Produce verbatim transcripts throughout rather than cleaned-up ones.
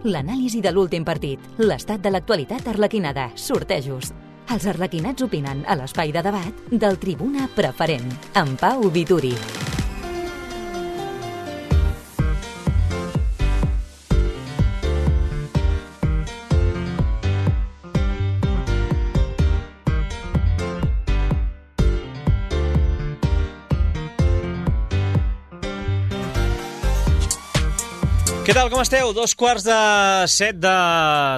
l'anàlisi de l'últim partit, l'estat de l'actualitat arlequinada, sortejos. Els arlequinats opinen a l'espai de debat del Tribuna Preferent, amb Pau Vituri. Què tal, com esteu? Dos quarts de set de...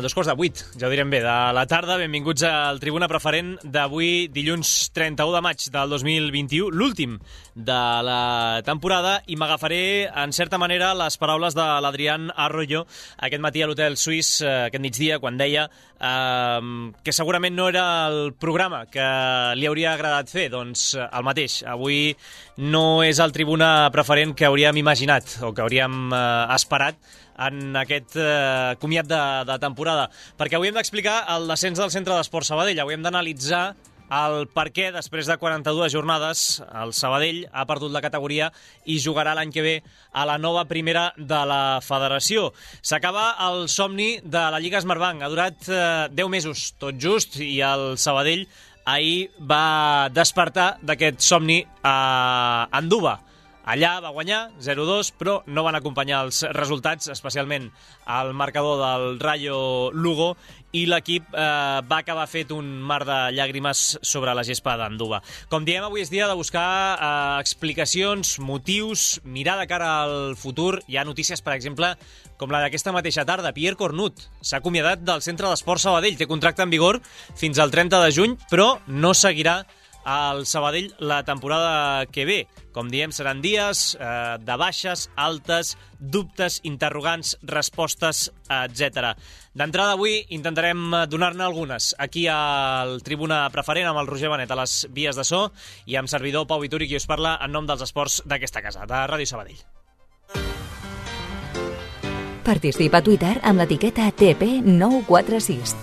Dos quarts de vuit, ja ho direm bé, de la tarda. Benvinguts al Tribuna Preferent d'avui, dilluns trenta-u de maig del dos mil vint-i-u, l'últim de la temporada, i m'agafaré, en certa manera, les paraules de l'Adrián Arroyo aquest matí a l'Hotel Suís, aquest migdia, quan deia eh, que segurament no era el programa que li hauria agradat fer. Doncs el mateix. Avui no és el Tribuna Preferent que hauríem imaginat o que hauríem eh, esperat en aquest eh, comiat de, de temporada, perquè avui hem d'explicar el descens del Centre d'Esports Sabadell. Avui hem d'analitzar el per què, després de quaranta-dues jornades, el Sabadell ha perdut la categoria i jugarà l'any que ve a la nova primera de la federació. S'acaba el somni de la Lliga Smartbank. Ha durat eh, deu mesos, tot just, i el Sabadell ahir va despertar d'aquest somni a Anduba. Allà va guanyar zero a dos, però no van acompanyar els resultats, especialment al marcador del Rayo Lugo, i l'equip eh, va acabar fet un mar de llàgrimes sobre la gespa d'Anduba. Com diem, avui és dia de buscar eh, explicacions, motius, mirar de cara al futur. Hi ha notícies, per exemple, com la d'aquesta mateixa tarda. Pierre Cornut s'ha acomiadat del Centre d'Esports Sabadell. Té contracte en vigor fins al trenta de juny, però no seguirà al Sabadell la temporada que ve. Com diem, seran dies eh, de baixes, altes, dubtes, interrogants, respostes, etcètera. D'entrada, avui intentarem donar-ne algunes aquí al Tribuna Preferent amb el Roger Benet a les vies de so i amb servidor Pau Vituri, qui us parla en nom dels esports d'aquesta casa, de Ràdio Sabadell. Participa a Twitter amb l'etiqueta T P nou quatre sis.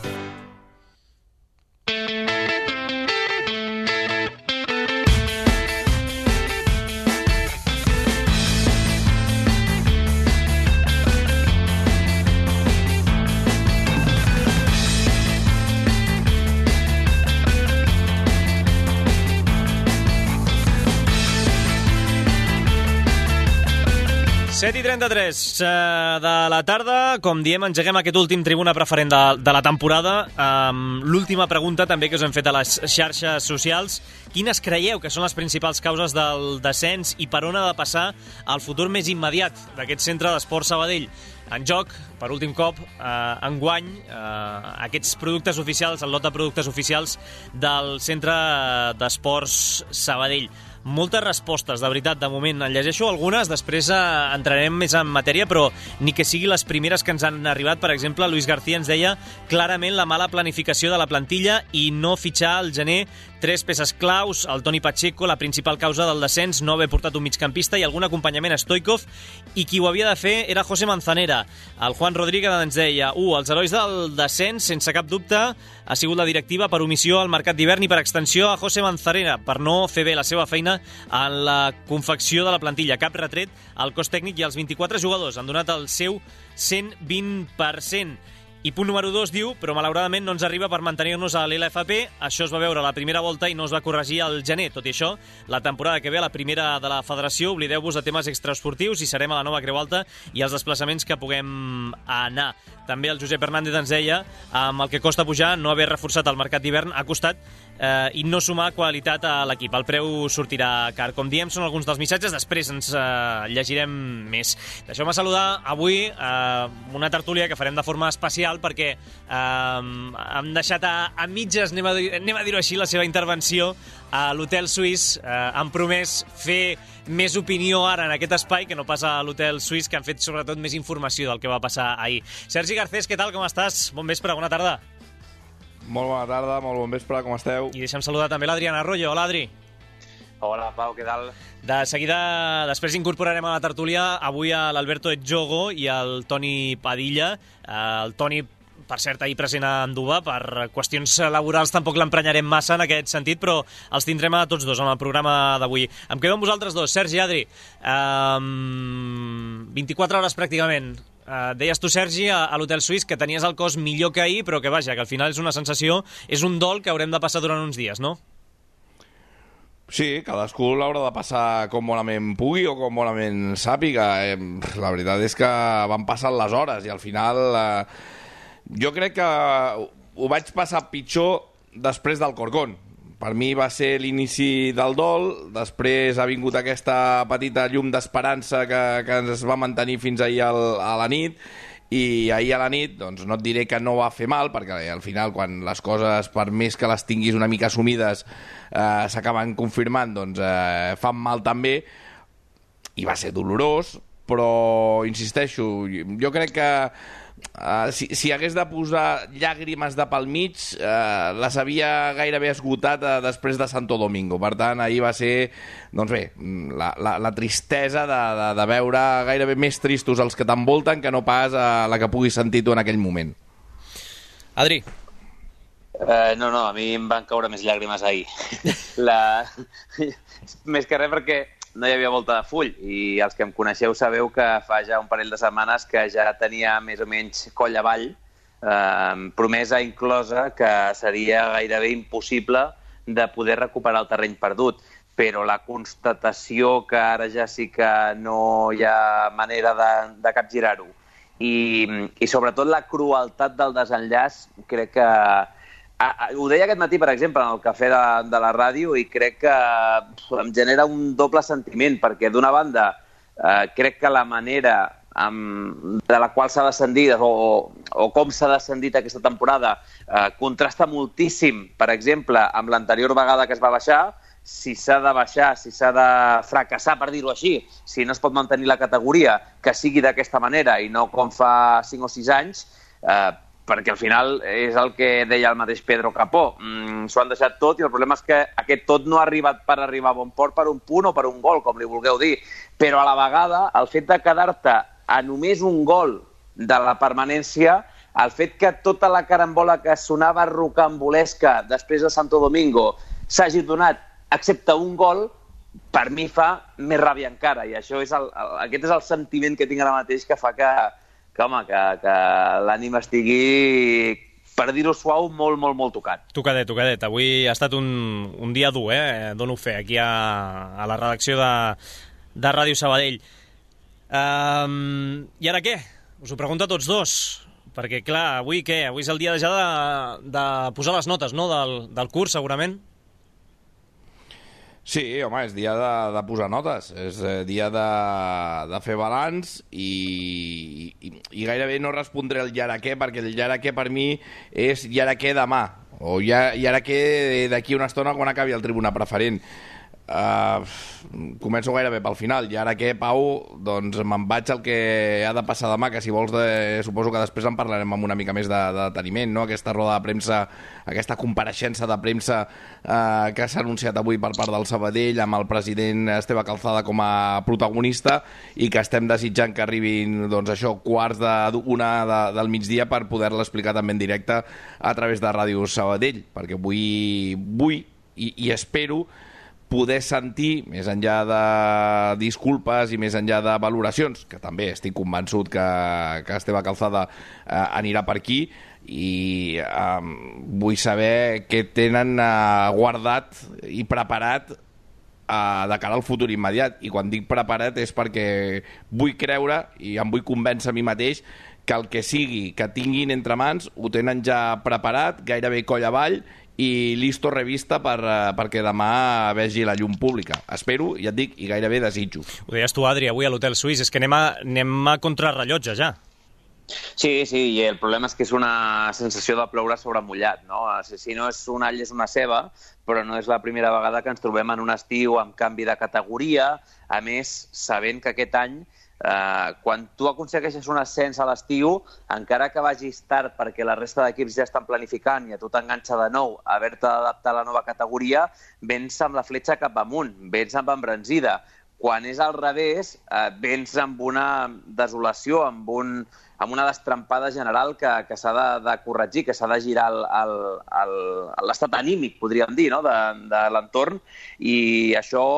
set i trenta-tres de la tarda, com diem, engeguem aquest últim Tribuna Preferent de, de la temporada. Um, l'última pregunta també que us hem fet a les xarxes socials: quines creieu que són les principals causes del descens i per on ha de passar el futur més immediat d'aquest Centre d'Esports Sabadell? En joc, per últim cop, eh, enguany, eh, aquests productes oficials, el lot de productes oficials del Centre d'Esports Sabadell. Moltes respostes, de veritat, de moment. En llegeixo algunes, després eh, entrarem més en matèria, però ni que sigui les primeres que ens han arribat. Per exemple, Luis García ens deia clarament la mala planificació de la plantilla i no fitxar al gener tres peces claus, el Toni Pacheco, la principal causa del descens, no haver portat un migcampista i algun acompanyament a Stoikov, i qui ho havia de fer era José Manzanera. El Juan Rodríguez ens deia: uh, els herois del descens, sense cap dubte, ha sigut la directiva per omissió al mercat d'hivern i per extensió a José Manzanera, per no fer bé la seva feina en la confecció de la plantilla. Cap retret al cos tècnic i els vint-i-quatre jugadors han donat el seu cent vint per cent. I punt número dos diu, però malauradament no ens arriba per mantenir-nos a l'L F P. Això es va veure a la primera volta i no es va corregir al gener. Tot i això, la temporada que ve a la primera de la federació, oblideu-vos de temes extraesportius i serem a la nova Creu Alta i els desplaçaments que puguem anar. També el Josep Hernández ens deia, amb el que costa pujar, no haver reforçat el mercat d'hivern ha costat eh, i no sumar qualitat a l'equip. El preu sortirà car. Com diem, són alguns dels missatges, després ens eh, llegirem més. Deixeu-me saludar avui eh, una tertúlia que farem de forma especial perquè eh, hem deixat a, a mitges, anem a, anem a dir-ho així, la seva intervenció a l'Hotel Suís. Eh, han promès fer més opinió ara en aquest espai que no passa a l'Hotel Suís, que han fet sobretot més informació del que va passar ahir. Sergi Garcés, què tal, com estàs? Bon vespre, bona tarda. Molt bona tarda, molt bon vespre, com esteu? I deixa'm saludar també l'Adrián Arroyo. Hola, Adri. Hola, Pau, què tal? De seguida, després incorporarem a la tertúlia avui a l'Alberto Etjogo i al Toni Padilla. El Toni, per cert, ahir present a Anduba, per qüestions laborals tampoc l'emprenyarem massa en aquest sentit, però els tindrem a tots dos en el programa d'avui. Em quedo amb vosaltres dos. Sergi, Adri, um, vint-i-quatre hores pràcticament. Uh, deies tu, Sergi, a, a l'Hotel Suís que tenies el cos millor que ahir, però que vaja, que al final és una sensació, és un dol que haurem de passar durant uns dies, no? Sí, cadascú l'haurà de passar com bonament pugui o com bonament sàpiga. Eh, la veritat és que van passant les hores i al final eh, jo crec que ho vaig passar pitjor després del Corcón. Per mi va ser l'inici del dol, després ha vingut aquesta petita llum d'esperança que, que ens va mantenir fins ahir al, a la nit, i ahir a la nit, doncs no et diré que no va fer mal, perquè al final quan les coses, per més que les tinguis una mica assumides, eh, s'acaben confirmant, doncs eh, fan mal també, i va ser dolorós, però insisteixo, jo crec que Uh, si, si hagués de posar llàgrimes de pel mig, uh, les havia gairebé esgotat uh, després de Santo Domingo. Per tant, ahir va ser, doncs bé, la, la, la tristesa de, de, de veure gairebé més tristos els que t'envolten que no pas uh, la que puguis sentir tu en aquell moment. Adri. Uh, no, no, a mi em van caure més llàgrimes ahir. la... més que res perquè no hi havia volta de full, i els que em coneixeu sabeu que fa ja un parell de setmanes que ja tenia més o menys coll avall, eh, promesa inclosa que seria gairebé impossible de poder recuperar el terreny perdut. Però la constatació que ara ja sí que no hi ha manera de, de capgirar-ho i, i sobretot la crueltat del desenllaç, crec que ho deia aquest matí, per exemple, en el cafè de, de la ràdio, i crec que em genera un doble sentiment, perquè d'una banda eh, crec que la manera amb, de la qual s'ha descendit o, o com s'ha descendit aquesta temporada eh, contrasta moltíssim, per exemple, amb l'anterior vegada que es va baixar. Si s'ha de baixar, si s'ha de fracassar, per dir-ho així, si no es pot mantenir la categoria, que sigui d'aquesta manera i no com fa cinc o sis anys, eh, perquè al final és el que deia el mateix Pedro Capó. Mm, s'ho han deixat tot i el problema és que aquest tot no ha arribat per arribar a bon port per un punt o per un gol, com li vulgueu dir. Però a la vegada, el fet de quedar-te a només un gol de la permanència, el fet que tota la carambola que sonava rocambolesca després de Santo Domingo s'hagi donat excepte un gol, per mi fa més ràbia encara. I això és el, el, aquest és el sentiment que tinc ara mateix, que fa que, que, home, que, que l'ànim estigui, per dir-ho suau, molt, molt, molt tocat. Tocadet, tocadet. Avui ha estat un, un dia dur, eh? Dono fe, aquí a, a la redacció de, de Ràdio Sabadell. Um, I ara què? Us ho pregunto a tots dos. Perquè, clar, avui què? Avui és el dia ja de, de posar les notes, no?, del, del curs, segurament. Sí, home, és dia de, de posar notes, és dia de, de fer balanç i, i, i gairebé no respondré al i ara què, perquè el i ara què per mi és i ara què demà, o i ara què d'aquí una estona quan acabi el tribuna preferent. Uh, començo gairebé pel final. I ara què, Pau? Doncs me'n vaig al que ha de passar demà, que si vols de, suposo que després en parlarem amb una mica més de, de deteniment, no? Aquesta roda de premsa, aquesta compareixença de premsa uh, que s'ha anunciat avui per part del Sabadell amb el president Esteve Calzada com a protagonista, i que estem desitjant que arribin, doncs això, quarts d'una de, del migdia per poder-la explicar també en directe a través de Ràdio Sabadell, perquè vull, vull i, i espero poder sentir, més enllà de disculpes i més enllà de valoracions, que també estic convençut que, que Esteve Calzada eh, anirà per aquí, i eh, vull saber què tenen eh, guardat i preparat eh, de cara al futur immediat. I quan dic preparat és perquè vull creure i em vull convèncer a mi mateix que el que sigui que tinguin entre mans ho tenen ja preparat, gairebé coll avall, i listo revista per, perquè demà vegi la llum pública. Espero, ja et dic, i gairebé desitjo. Ho deies tu, Adri, avui a l'Hotel Suís, és que anem a, anem a contrarrellotge ja. Sí, sí, i el problema és que és una sensació de ploure sobre mullat, no? Si no és un all, és una ceba, però no és la primera vegada que ens trobem en un estiu amb canvi de categoria, a més, sabent que aquest any Uh, quan tu aconsegueixes un ascens a l'estiu, encara que vagis tard perquè la resta d'equips ja estan planificant i a tu t'enganxa de nou a haver-te d'adaptar a la nova categoria, vens amb la fletxa cap amunt, vens amb embranzida. Quan és al revés, uh, vens amb una desolació, amb, un, amb una destrampada general que, que s'ha de, de corregir, que s'ha de girar l'estat anímic, podríem dir, no?, de, de l'entorn, i això...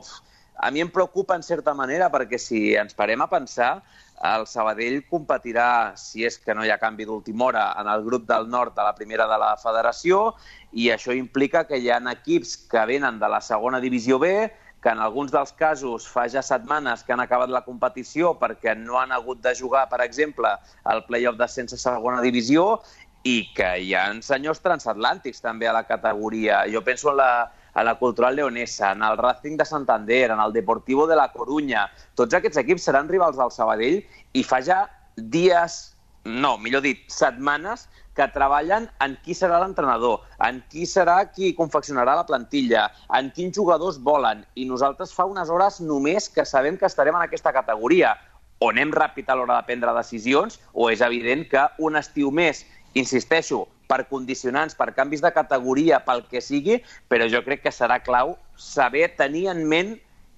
Pff, a mi em preocupa en certa manera, perquè si ens parem a pensar, el Sabadell competirà, si és que no hi ha canvi d'última hora, en el grup del nord de la primera de la federació, i això implica que hi ha equips que venen de la segona divisió B, que en alguns dels casos fa ja setmanes que han acabat la competició perquè no han hagut de jugar, per exemple, el play-off d'ascens a segona divisió, i que hi ha senyors transatlàntics també a la categoria. Jo penso en la, a la Cultural Leonesa, en el Racing de Santander, en el Deportivo de la Coruña. Tots aquests equips seran rivals del Sabadell i fa ja dies, no, millor dit, setmanes, que treballen en qui serà l'entrenador, en qui serà qui confeccionarà la plantilla, en quins jugadors volen. I nosaltres fa unes hores només que sabem que estarem en aquesta categoria. O anem ràpid a l'hora de prendre decisions, o és evident que un estiu més, insisteixo, per condicionants, per canvis de categoria, pel que sigui, però jo crec que serà clau saber tenir en ment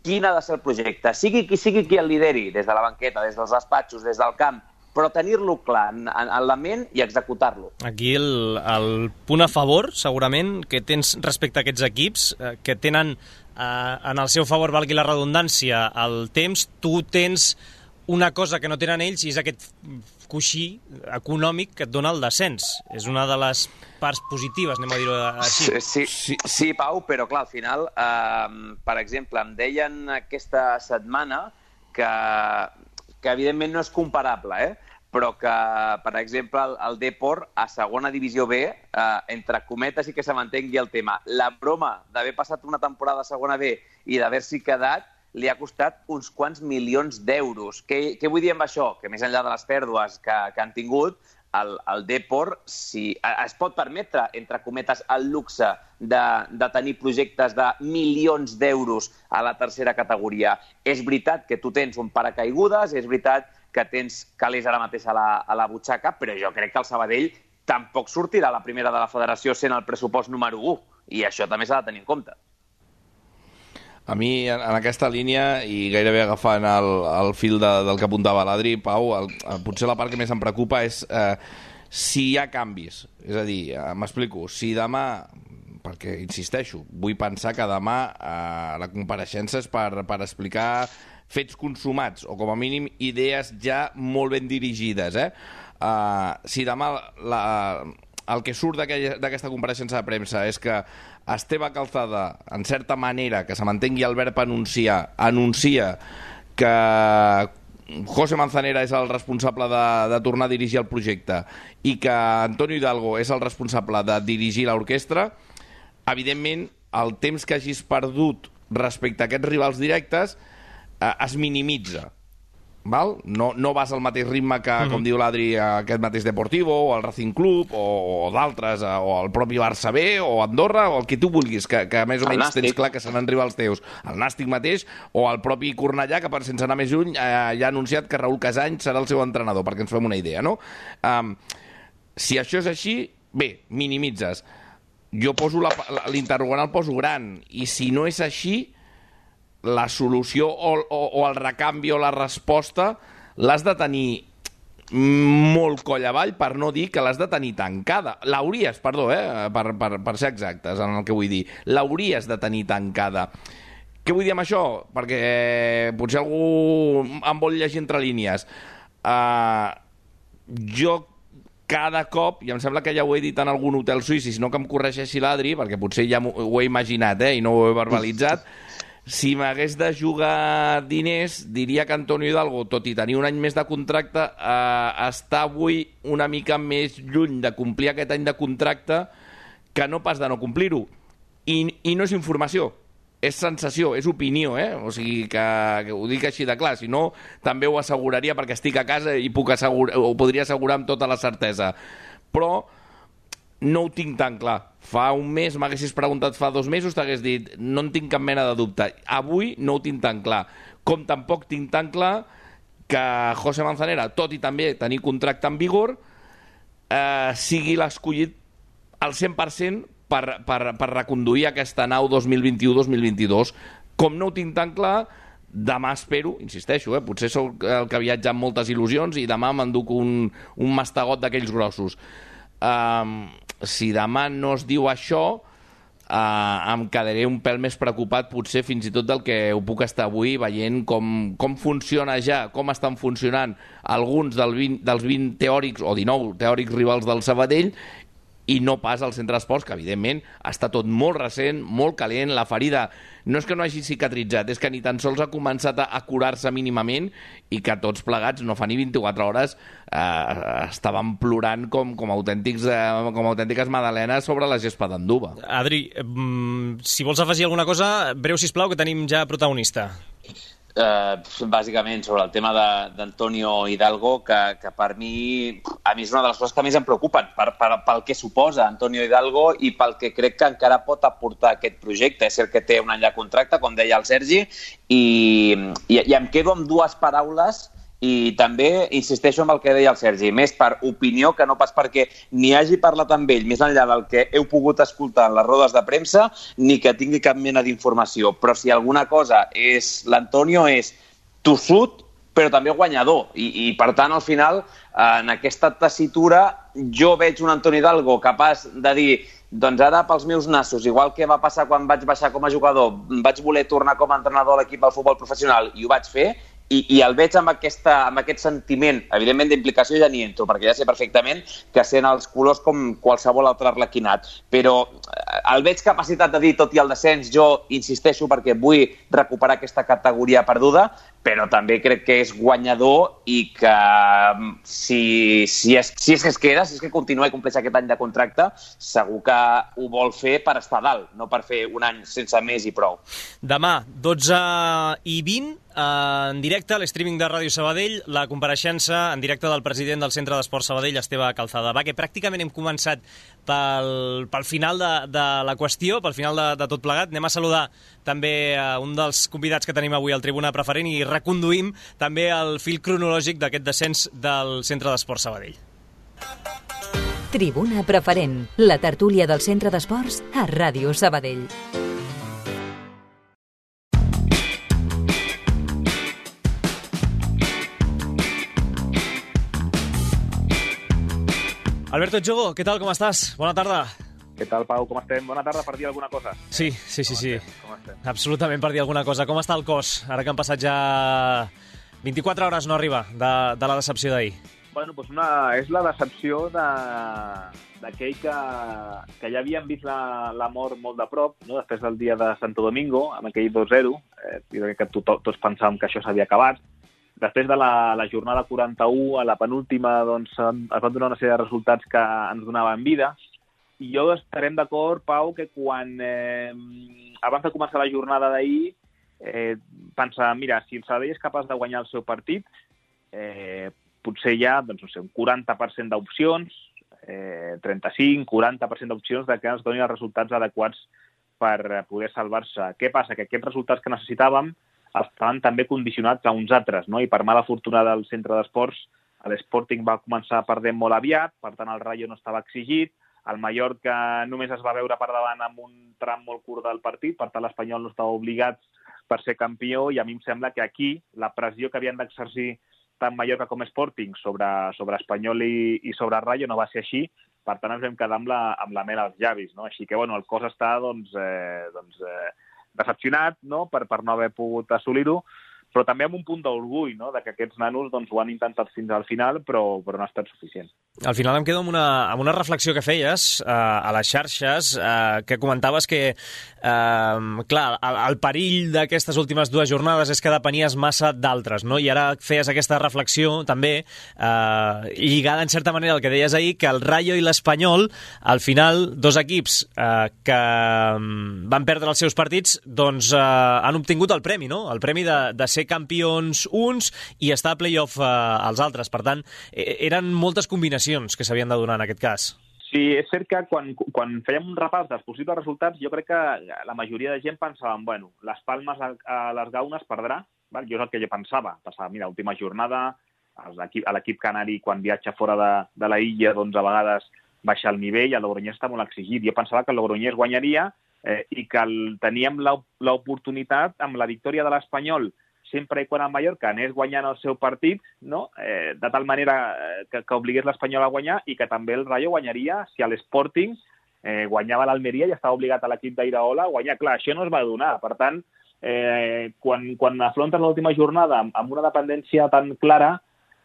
quin ha de ser el projecte. Sigui qui sigui qui el lideri, des de la banqueta, des dels despatxos, des del camp, però tenir-lo clar en, en la ment i executar-lo. Aquí el, el punt a favor, segurament, que tens respecte a aquests equips, eh, que tenen eh, en el seu favor, valgui la redundància, el temps, tu tens una cosa que no tenen ells i és aquest coixí econòmic que et dona el descens. És una de les parts positives, anem a dir-ho així. Sí, sí, sí, Pau, però clar, al final, eh, per exemple, em deien aquesta setmana que, que evidentment no és comparable, eh? però que, per exemple, el, el Depor a segona divisió B, eh, entre cometes i que se mantengui el tema, la broma d'haver passat una temporada a segona B i d'haver-s'hi quedat li ha costat uns quants milions d'euros. Què, què vull dir amb això? Que més enllà de les pèrdues que, que han tingut, el, el Depor si, es pot permetre, entre cometes, el luxe de, de tenir projectes de milions d'euros a la tercera categoria. És veritat que tu tens un paracaigudes, és veritat que tens calés ara mateix a la, a la butxaca, però jo crec que el Sabadell tampoc sortirà a la primera de la federació sent el pressupost número u, i això també s'ha de tenir en compte. A mi, en, en aquesta línia, i gairebé agafant el, el fil de, del que apuntava l'Adri, Pau, el, potser la part que més em preocupa és eh, si hi ha canvis. És a dir, eh, m'explico, si demà, perquè insisteixo, vull pensar que demà eh, la compareixença és per, per explicar fets consumats, o com a mínim idees ja molt ben dirigides. Eh? Uh, si demà la, el que surt d'aquesta compareixença de premsa és que Esteve Calzada, en certa manera, que se mantengui el verb anunciar, anuncia que José Manzanera és el responsable de, de tornar a dirigir el projecte i que Antonio Hidalgo és el responsable de dirigir l'orquestra, evidentment el temps que hagis perdut respecte a aquests rivals directes eh, es minimitza. Val? No, no vas al mateix ritme que, mm-hmm. com diu l'Adri, aquest mateix Deportivo, o el Racing Club, o, o d'altres, o el propi Barça B, o Andorra, o el que tu vulguis, que, que més o menys tens clar que seran rivals teus. El Nàstic mateix, o el propi Cornellà, que per sense anar més lluny eh, ja ha anunciat que Raúl Casany serà el seu entrenador, perquè ens fem una idea, no? Um, si això és així, bé, minimitzes. Jo poso l'interrogant, el poso gran, i si no és així, la solució o, o, o el recanvi o la resposta l'has de tenir molt coll avall, per no dir que l'has de tenir tancada. L'hauries, perdó, eh, per, per, per ser exactes en el que vull dir. L'hauries de tenir tancada. Què vull dir amb això? Perquè eh, potser algú em vol llegir entre línies. Uh, jo cada cop, i em sembla que ja ho he dit en algun hotel suís, i si no que em corregeixi l'Adri, perquè potser ja ho he imaginat eh, i no ho he verbalitzat, si m'hagués de jugar diners, diria que Antonio Hidalgo, tot i tenir un any més de contracte, eh, està avui una mica més lluny de complir aquest any de contracte que no pas de no complir-ho. I, i no és informació, és sensació, és opinió, eh? O sigui, que, que ho dic així de clar, si no, també ho asseguraria perquè estic a casa i puc assegurar, ho podria assegurar amb tota la certesa. Però no ho tinc tan clar. Fa un mes m'haguessis preguntat fa dos mesos, t'hagués dit, no en tinc cap mena de dubte. Avui no ho tinc tan clar. Com tampoc tinc tan clar que José Manzanera, tot i també tenir contracte en vigor, eh, sigui l'escollit al cent per cent per, per, per reconduir aquesta nau dos mil vint u dos mil vint-i-dos. Com no ho tinc tan clar, demà espero, insisteixo, eh, potser sóc el que viatja amb moltes il·lusions i demà m'enduc un, un mastegot d'aquells grossos. Um, si demà no es diu això, eh, em quedaré un pèl més preocupat potser fins i tot del que ho puc estar avui veient com, com funciona ja, com estan funcionant alguns del vint, dels vint teòrics o dinou teòrics rivals del Sabadell i no pas al centre d'esports, que evidentment està tot molt recent, molt calent, la ferida no és que no hagi cicatritzat, és que ni tan sols ha començat a, a curar-se mínimament i que tots plegats, no fa ni vint-i-quatre hores, eh, estàvem plorant com, com, autèntics, eh, com autèntiques magdalenes sobre la gespa d'Anduba. Adri, mm, si vols afegir alguna cosa, breu, sisplau, que tenim ja protagonista. Uh, bàsicament sobre el tema d'Antonio Hidalgo, que, que per mi a mi és una de les coses que més em preocupen per, per, pel que suposa Antonio Hidalgo i pel que crec que encara pot aportar aquest projecte. És cert que té un any de contracte, com deia el Sergi, i, i, i em quedo amb dues paraules i també insisteixo en el que deia el Sergi, més per opinió que no pas perquè ni hagi parlat amb ell més enllà del que heu pogut escoltar en les rodes de premsa ni que tingui cap mena d'informació. Però si alguna cosa és l'Antonio és tossut però també guanyador i, i per tant al final en aquesta tessitura jo veig un Antonio Hidalgo capaç de dir doncs ara pels meus nassos, igual que va passar quan vaig baixar com a jugador, vaig voler tornar com a entrenador a l'equip del futbol professional i ho vaig fer. I, i el veig amb, aquesta, amb aquest sentiment, evidentment d'implicació ja n'hi entro, perquè ja sé perfectament que sent els colors com qualsevol altre arlequinat, però el veig capacitat de dir, tot i el descens, jo insisteixo perquè vull recuperar aquesta categoria perduda, però també crec que és guanyador i que si, si, és, si és que es queda, si és que continua i compleix aquest any de contracte, segur que ho vol fer per estar dalt, no per fer un any sense més i prou. Demà, dotze i vint, en directe, a l'streaming de Ràdio Sabadell, la compareixença en directe del president del Centre d'Esports Sabadell, Esteve Calzada. Va, que pràcticament hem començat pel, pel final de, de la qüestió, pel final de, de tot plegat. Anem a saludar també a un dels convidats que tenim avui al Tribuna Preferent i reconduïm també el fil cronològic d'aquest descens del Centre d'Esports Sabadell. Tribuna Preferent, la tertúlia del Centre d'Esports a Ràdio Sabadell. Alberto Jogo, què tal, com estàs? Bona tarda. Què tal, Pau, com estem? Bona tarda, per dir alguna cosa. Sí, sí, sí, sí. Com estem? Absolutament per dir alguna cosa. Com està el cos, ara que han passat ja vint-i-quatre hores, no arriba, de, de la decepció d'ahir? Bueno, doncs una, és la decepció de, d'aquell que, que ja havien vist la, la mort molt de prop, no? Després del dia de Santo Domingo, amb aquell dos zero, eh, que to, tots pensàvem que això s'havia acabat. Després de la, la jornada quaranta-u, a la penúltima, doncs, es van donar una sèrie de resultats que ens donaven vida. I jo estarem d'acord, Pau, que quan, eh, abans de començar la jornada d'ahir, eh, pensar, mira, si el Sabadell és capaç de guanyar el seu partit, eh, potser hi ha, doncs, no sé, un quaranta per cent d'opcions, eh, trenta-cinc, quaranta per cent d'opcions de que ens donin els resultats adequats per poder salvar-se. Què passa? Que aquests resultats que necessitàvem estaven també condicionats a uns altres, no? I per mala fortuna del Centre d'Esports, l'Sporting va començar perdent molt aviat, per tant el Rayo no estava exigit, el Mallorca només es va veure per davant amb un tram molt curt del partit, per tant l'Espanyol no estava obligat per ser campió, i a mi em sembla que aquí la pressió que havien d'exercir tant Mallorca com Sporting sobre, sobre Espanyol i, i sobre Rayo no va ser així, per tant ens vam quedar amb la, amb la mel als llavis, no? Així que bueno, el cos està doncs, eh, doncs, eh, decepcionat, no? per, per no haver pogut assolir-ho, però també amb un punt d'orgull, no? De que aquests nanos doncs, ho han intentat fins al final, però, però no ha estat suficient. Al final em quedo amb una, amb una reflexió que feies eh, a les xarxes, eh, que comentaves que, eh, clar, el, el perill d'aquestes últimes dues jornades és que depenies massa d'altres, no? I ara feies aquesta reflexió també, eh, lligada en certa manera al que deies ahir, que el Rayo i l'Espanyol, al final, dos equips eh, que van perdre els seus partits, doncs eh, han obtingut el premi, no? El premi de, de ser campions uns i estar a play-off eh, als altres. Per tant, eren moltes combinacions que s'havien de donar en aquest cas. Sí, és cert que quan, quan fèiem un repàs dels possibles resultats, jo crec que la majoria de gent pensaven, bueno, les Palmes a, a les Gaunes perdrà, val? Jo és el que jo pensava. Pensava, mira, última jornada, a l'equip canari, quan viatja fora de, de la illa, doncs a vegades baixa el nivell, el Logroñés està molt exigit. Jo pensava que el Logroñés guanyaria eh, i que el, teníem l'oportunitat amb la victòria de l'Espanyol sempre i quan el Mallorca anés guanyant el seu partit, no? eh, de tal manera que, que obligués l'Espanyol a guanyar i que també el Rayo guanyaria si l'Sporting eh, guanyava l'Almeria i estava obligat a l'equip d'Iraola a guanyar. Clar, això no es va donar. Per tant, eh, quan, quan afrontes l'última jornada amb, amb una dependència tan clara,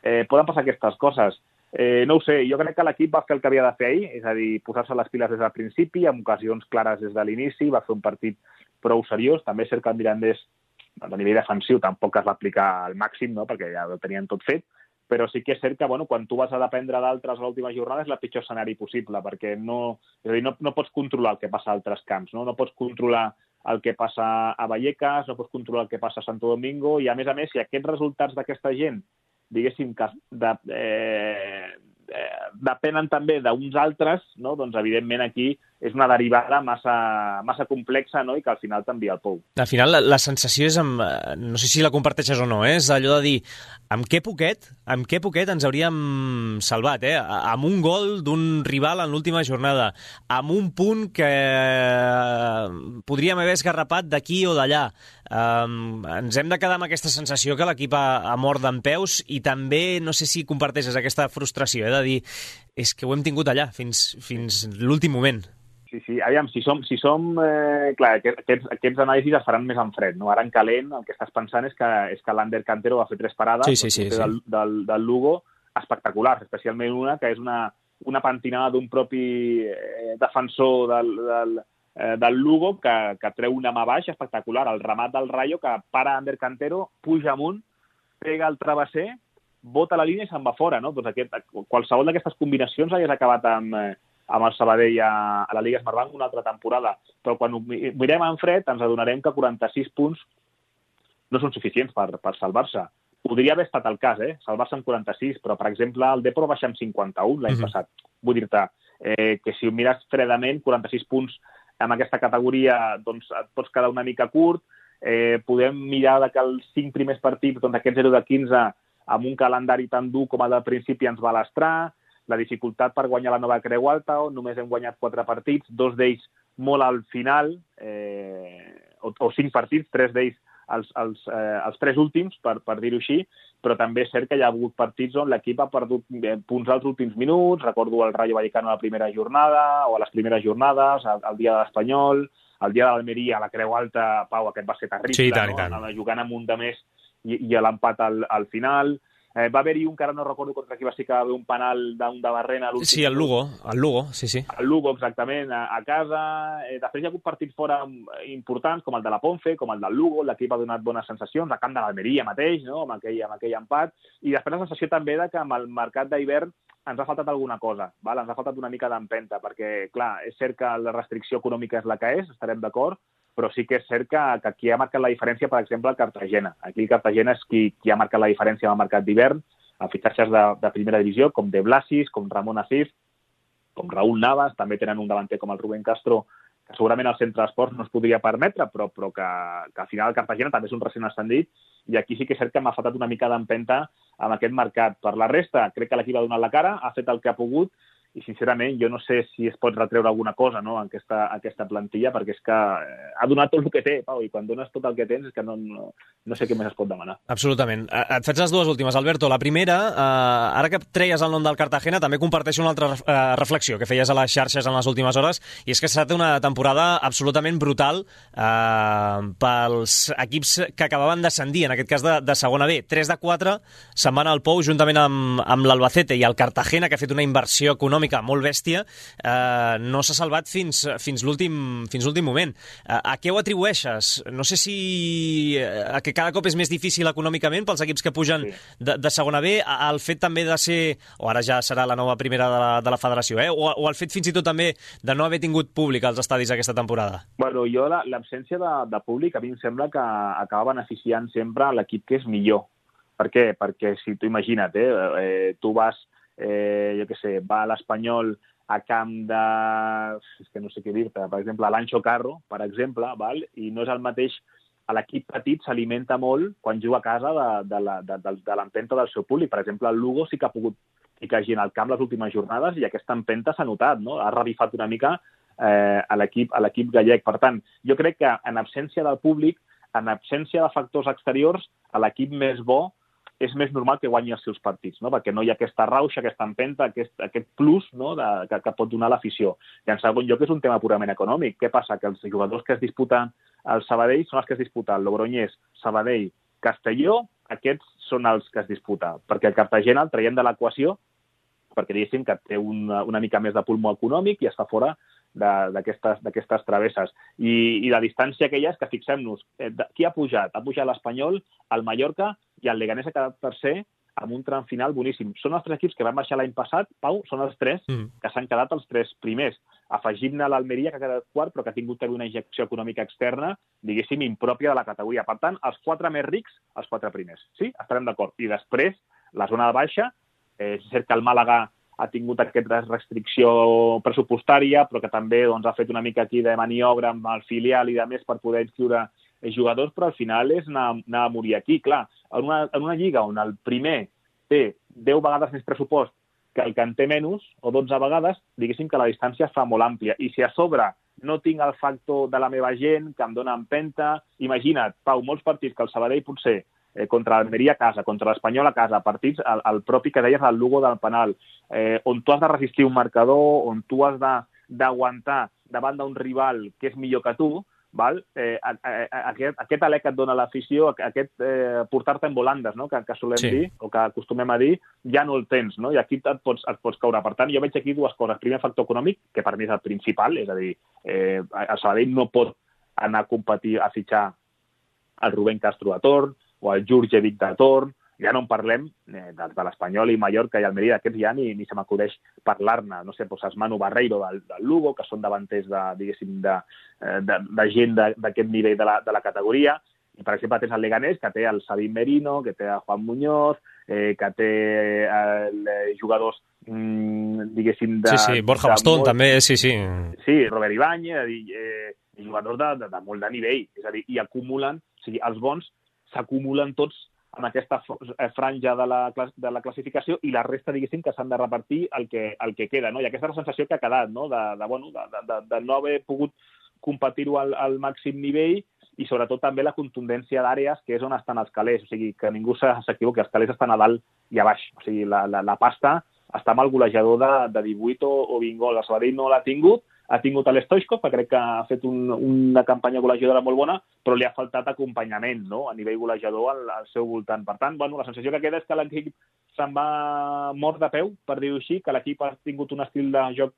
eh, poden passar aquestes coses. Eh, no ho sé, jo crec que l'equip va fer el que havia de fer ahir, és a dir, posar-se les piles des del principi, amb ocasions clares des de l'inici, va fer un partit prou seriós. També és cert que el Mirandés, a nivell defensiu, tampoc es va aplicar al màxim, no?, perquè ja ho tenien tot fet, però sí que és cert que bueno, quan tu vas a dependre d'altres a l'última jornada és el pitjor escenari possible, perquè no, és a dir, no, no pots controlar el que passa a altres camps, no? No pots controlar el que passa a Vallecas, no pots controlar el que passa a Santo Domingo, i a més a més, si aquests resultats d'aquesta gent diguéssim, que de, eh, eh, depenen també d'uns altres, no? Doncs evidentment aquí és una derivada massa, massa complexa, no?, i que al final t'envia al pou. Al final la, la sensació és, amb, no sé si la comparteixes o no, eh? És allò de dir, amb què poquet, amb què poquet ens hauríem salvat, eh? Amb un gol d'un rival en l'última jornada, amb un punt que podríem haver esgarrapat d'aquí o d'allà. Um, ens hem de quedar amb aquesta sensació que l'equip ha, ha mort dempeus, i també, no sé si comparteixes aquesta frustració, eh? De dir, és que ho hem tingut allà fins, fins l'últim moment. Sí, sí, aviam, si som, si som eh, clar, aquests, aquests anàlisis es faran més en fred, no? Ara en calent el que estàs pensant és que, és que l'Ander Cantero va fer tres parades sí, sí, sí, sí. Del, del, del Lugo espectaculars, especialment una que és una, una pentinada d'un propi eh, defensor del, del, eh, del Lugo que, que treu una mà baix espectacular, el remat del Rayo que para Ander Cantero, puja amunt, pega el travesser, bota la línia i se'n va fora, no? Doncs aquest, qualsevol d'aquestes combinacions hagués acabat amb... Eh, amb el Sabadell a, a la Lliga Smartbank una altra temporada. Però quan ho mirem en fred ens adonarem que quaranta-sis punts no són suficients per, per salvar-se. Podria haver estat el cas, eh? Salvar-se amb quaranta-sis, però, per exemple, el Depor va baixar amb cinquanta-un l'any uh-huh. passat. Vull dir-te eh, que si ho mires fredament, quaranta-sis punts en aquesta categoria doncs, et pots quedar una mica curt. Eh, podem mirar que els cinc primers partits, doncs aquest zero de quinze, amb un calendari tan dur com el del principi, ens va lastrar. La dificultat per guanyar la nova Creu Alta, on només hem guanyat quatre partits, dos d'ells molt al final, eh, o, o cinc partits, tres d'ells els, els, eh, els tres últims, per, per dir-ho així, però també és cert que hi ha hagut partits on l'equip ha perdut punts als últims minuts, recordo el Rayo Vallecano a la primera jornada, o a les primeres jornades, el, el dia de l'Espanyol, el dia de l'Almeria, a la Creu Alta, Pau, aquest va ser terrible, sí, i tant, no? I tant. Jugant amb un de més i, i l'empat al, al final. Eh, va haver-hi un que ara no recordo contra qui va ser que va haver un penal d'un de Barrena. Sí, el Lugo, el Lugo, sí, sí. El Lugo, exactament, a, a casa. Eh, després hi ha hagut partits fora importants, com el de la Ponce, com el del Lugo, l'equip ha donat bones sensacions, a camp de l'Almeria mateix, no?, amb aquell, amb aquell empat. I després la sensació també de que amb el mercat d'hivern ens ha faltat alguna cosa, val? Ens ha faltat una mica d'empenta, perquè, clar, és cert que la restricció econòmica és la que és, estarem d'acord, però sí que és cert que, que qui ha marcat la diferència, per exemple, el Cartagena. Aquí el Cartagena és qui, qui ha marcat la diferència en el mercat d'hivern, amb fitxatges de, de primera divisió, com De Blasis, com Ramon Asif, com Raúl Navas, també tenen un davanter com el Rubén Castro, que segurament al centre d'esports no es podria permetre, però, però que, que al final el Cartagena també és un recent ascendit, i aquí sí que és cert que m'ha faltat una mica d'empenta amb aquest mercat. Per la resta, crec que l'equip ha donat la cara, ha fet el que ha pogut, i sincerament jo no sé si es pot retreure alguna cosa, no?, en aquesta, aquesta plantilla, perquè és que ha donat tot el que té, Pau, i quan dones tot el que tens és que no, no, no sé què més es pot demanar. Absolutament. Et faig les dues últimes, Alberto. La primera, eh, ara que treies el nom del Cartagena, també comparteixo una altra eh, reflexió que feies a les xarxes en les últimes hores, i és que ha estat una temporada absolutament brutal eh, pels equips que acabaven d'ascendir, en aquest cas de, de segona B. tres de quatre se'n van al Pou juntament amb, amb l'Albacete, i el Cartagena, que ha fet una inversió econòmica molt bèstia, eh, no s'ha salvat fins, fins l'últim fins l'últim moment. Eh, a què ho atribueixes? No sé si a que cada cop és més difícil econòmicament pels equips que pugen sí. de, de segona B, al fet també de ser, o ara ja serà la nova primera de la, de la federació, eh? o, o al fet fins i tot també de no haver tingut públic als estadis aquesta temporada? Bueno, jo l'absència de, de públic a mi em sembla que acaba beneficiant sempre l'equip que és millor. Per què? Perquè si tu imagina't, eh, eh, tu vas Eh, jo què sé, va a l'Espanyol a camp de... és que no sé què dir-te, per exemple, a l'Ancho Carro, per exemple, val? I no és el mateix, l'equip petit s'alimenta molt quan juga a casa de, de, la, de, de, de l'empenta del seu públic. Per exemple, el Lugo sí que ha pogut ficar gent al camp les últimes jornades i aquesta empenta s'ha notat, no? Ha revifat una mica eh, a l'equip a l'equip gallec. Per tant, jo crec que en absència del públic, en absència de factors exteriors, l'equip més bo és més normal que guanyi els seus partits, no? Perquè no hi ha aquesta rauxa, aquesta empenta, aquest, aquest plus, no? de, que, que pot donar l'afició. I en segon lloc és un tema purament econòmic. Què passa? Que els jugadors que es disputen al Sabadell són els que es disputen el Logroñés, Sabadell, Castelló, aquests són els que es disputa. Perquè el Cartagena el traiem de l'equació perquè diguéssim que té una, una mica més de pulmó econòmic i està fora d'aquestes travesses. I, I la distància que hi ha és que fixem-nos, eh, qui ha pujat? Ha pujat l'Espanyol, el Mallorca i el Leganés ha quedat tercer amb un tram final boníssim. Són els tres equips que van baixar l'any passat, Pau, són els tres mm. que s'han quedat els tres primers. Afegim-ne l'Almeria, que ha quedat quart, però que ha tingut també una injecció econòmica externa, diguéssim, impròpia de la categoria. Per tant, els quatre més rics, els quatre primers. Sí? Estarem d'acord. I després, la zona de baixa, eh, és cert que el Màlaga ha tingut aquesta restricció pressupostària, però que també doncs, ha fet una mica aquí de maniobra amb el filial i de més per poder inscriure jugadors, però al final és anar, anar a morir aquí. Clar, en una, en una lliga on el primer té deu vegades més pressupost que el que en té menys, o dotze vegades, diguéssim que la distància es fa molt àmplia. I si a sobre no tinc el factor de la meva gent, que em dona empenta, imagina't, Pau, molts partits que el Sabadell potser eh, contra l'Almeria a casa, contra l'Espanyol a casa, partits, el, el propi que deies, el Lugo del penal, eh, on tu has de resistir un marcador, on tu has d'aguantar davant d'un rival que és millor que tu, val? Eh, a, a, a, aquest, aquest alè que et dona l'afició, aquest eh, portar-te en volandes, no? que, que solem sí. dir, o que acostumem a dir, ja no el tens, no? I aquí et pots, et pots caure. Per tant, jo veig aquí dues coses. Primer, factor econòmic, que per mi és el principal, és a dir, eh, el Sabadell no pot anar a competir, a fitxar el Rubén Castro a torn, o el Jurjevic de torn, ja no en parlem eh, de, de l'Espanyol i Mallorca i Almeria, d'aquests ja ni, ni se m'acudeix parlar-ne. No sé, doncs Manu Barreiro del, del Lugo, que són davanters de, diguéssim, de, de, de gent d'aquest nivell de la, de la categoria. I, per exemple, tens el Leganés, que té el Sabin Merino, que té el Juan Muñoz, eh, que té el, eh, jugadors, mm, diguéssim... De, sí, sí, Borja Bastón molt... també, sí, sí. Sí, Robert Ibáñez, eh, jugadors de, de, de molt de nivell. És a dir, i acumulen, o sigui, els bons s'acumulen tots en aquesta franja de la, de la classificació i la resta, diguéssim, que s'han de repartir el que, el que queda, no? I aquesta és la sensació que ha quedat, no? De, de, bueno, de, de, de no haver pogut competir-ho al, al màxim nivell i sobretot també la contundència d'àrees, que és on estan els calés, o sigui, que ningú s'equivoqui, els calés estan a dalt i a baix, o sigui, la, la, la pasta està amb el golejador de, de divuit o, o vint gols. El Sabadell no l'ha tingut, ha tingut l'Stoichkov, que crec que ha fet un, una campanya golejadora molt bona, però li ha faltat acompanyament, no?, a nivell golejador al, al seu voltant. Per tant, bueno, la sensació que queda és que l'equip se'n va mort de peu, per dir-ho així, que l'equip ha tingut un estil de joc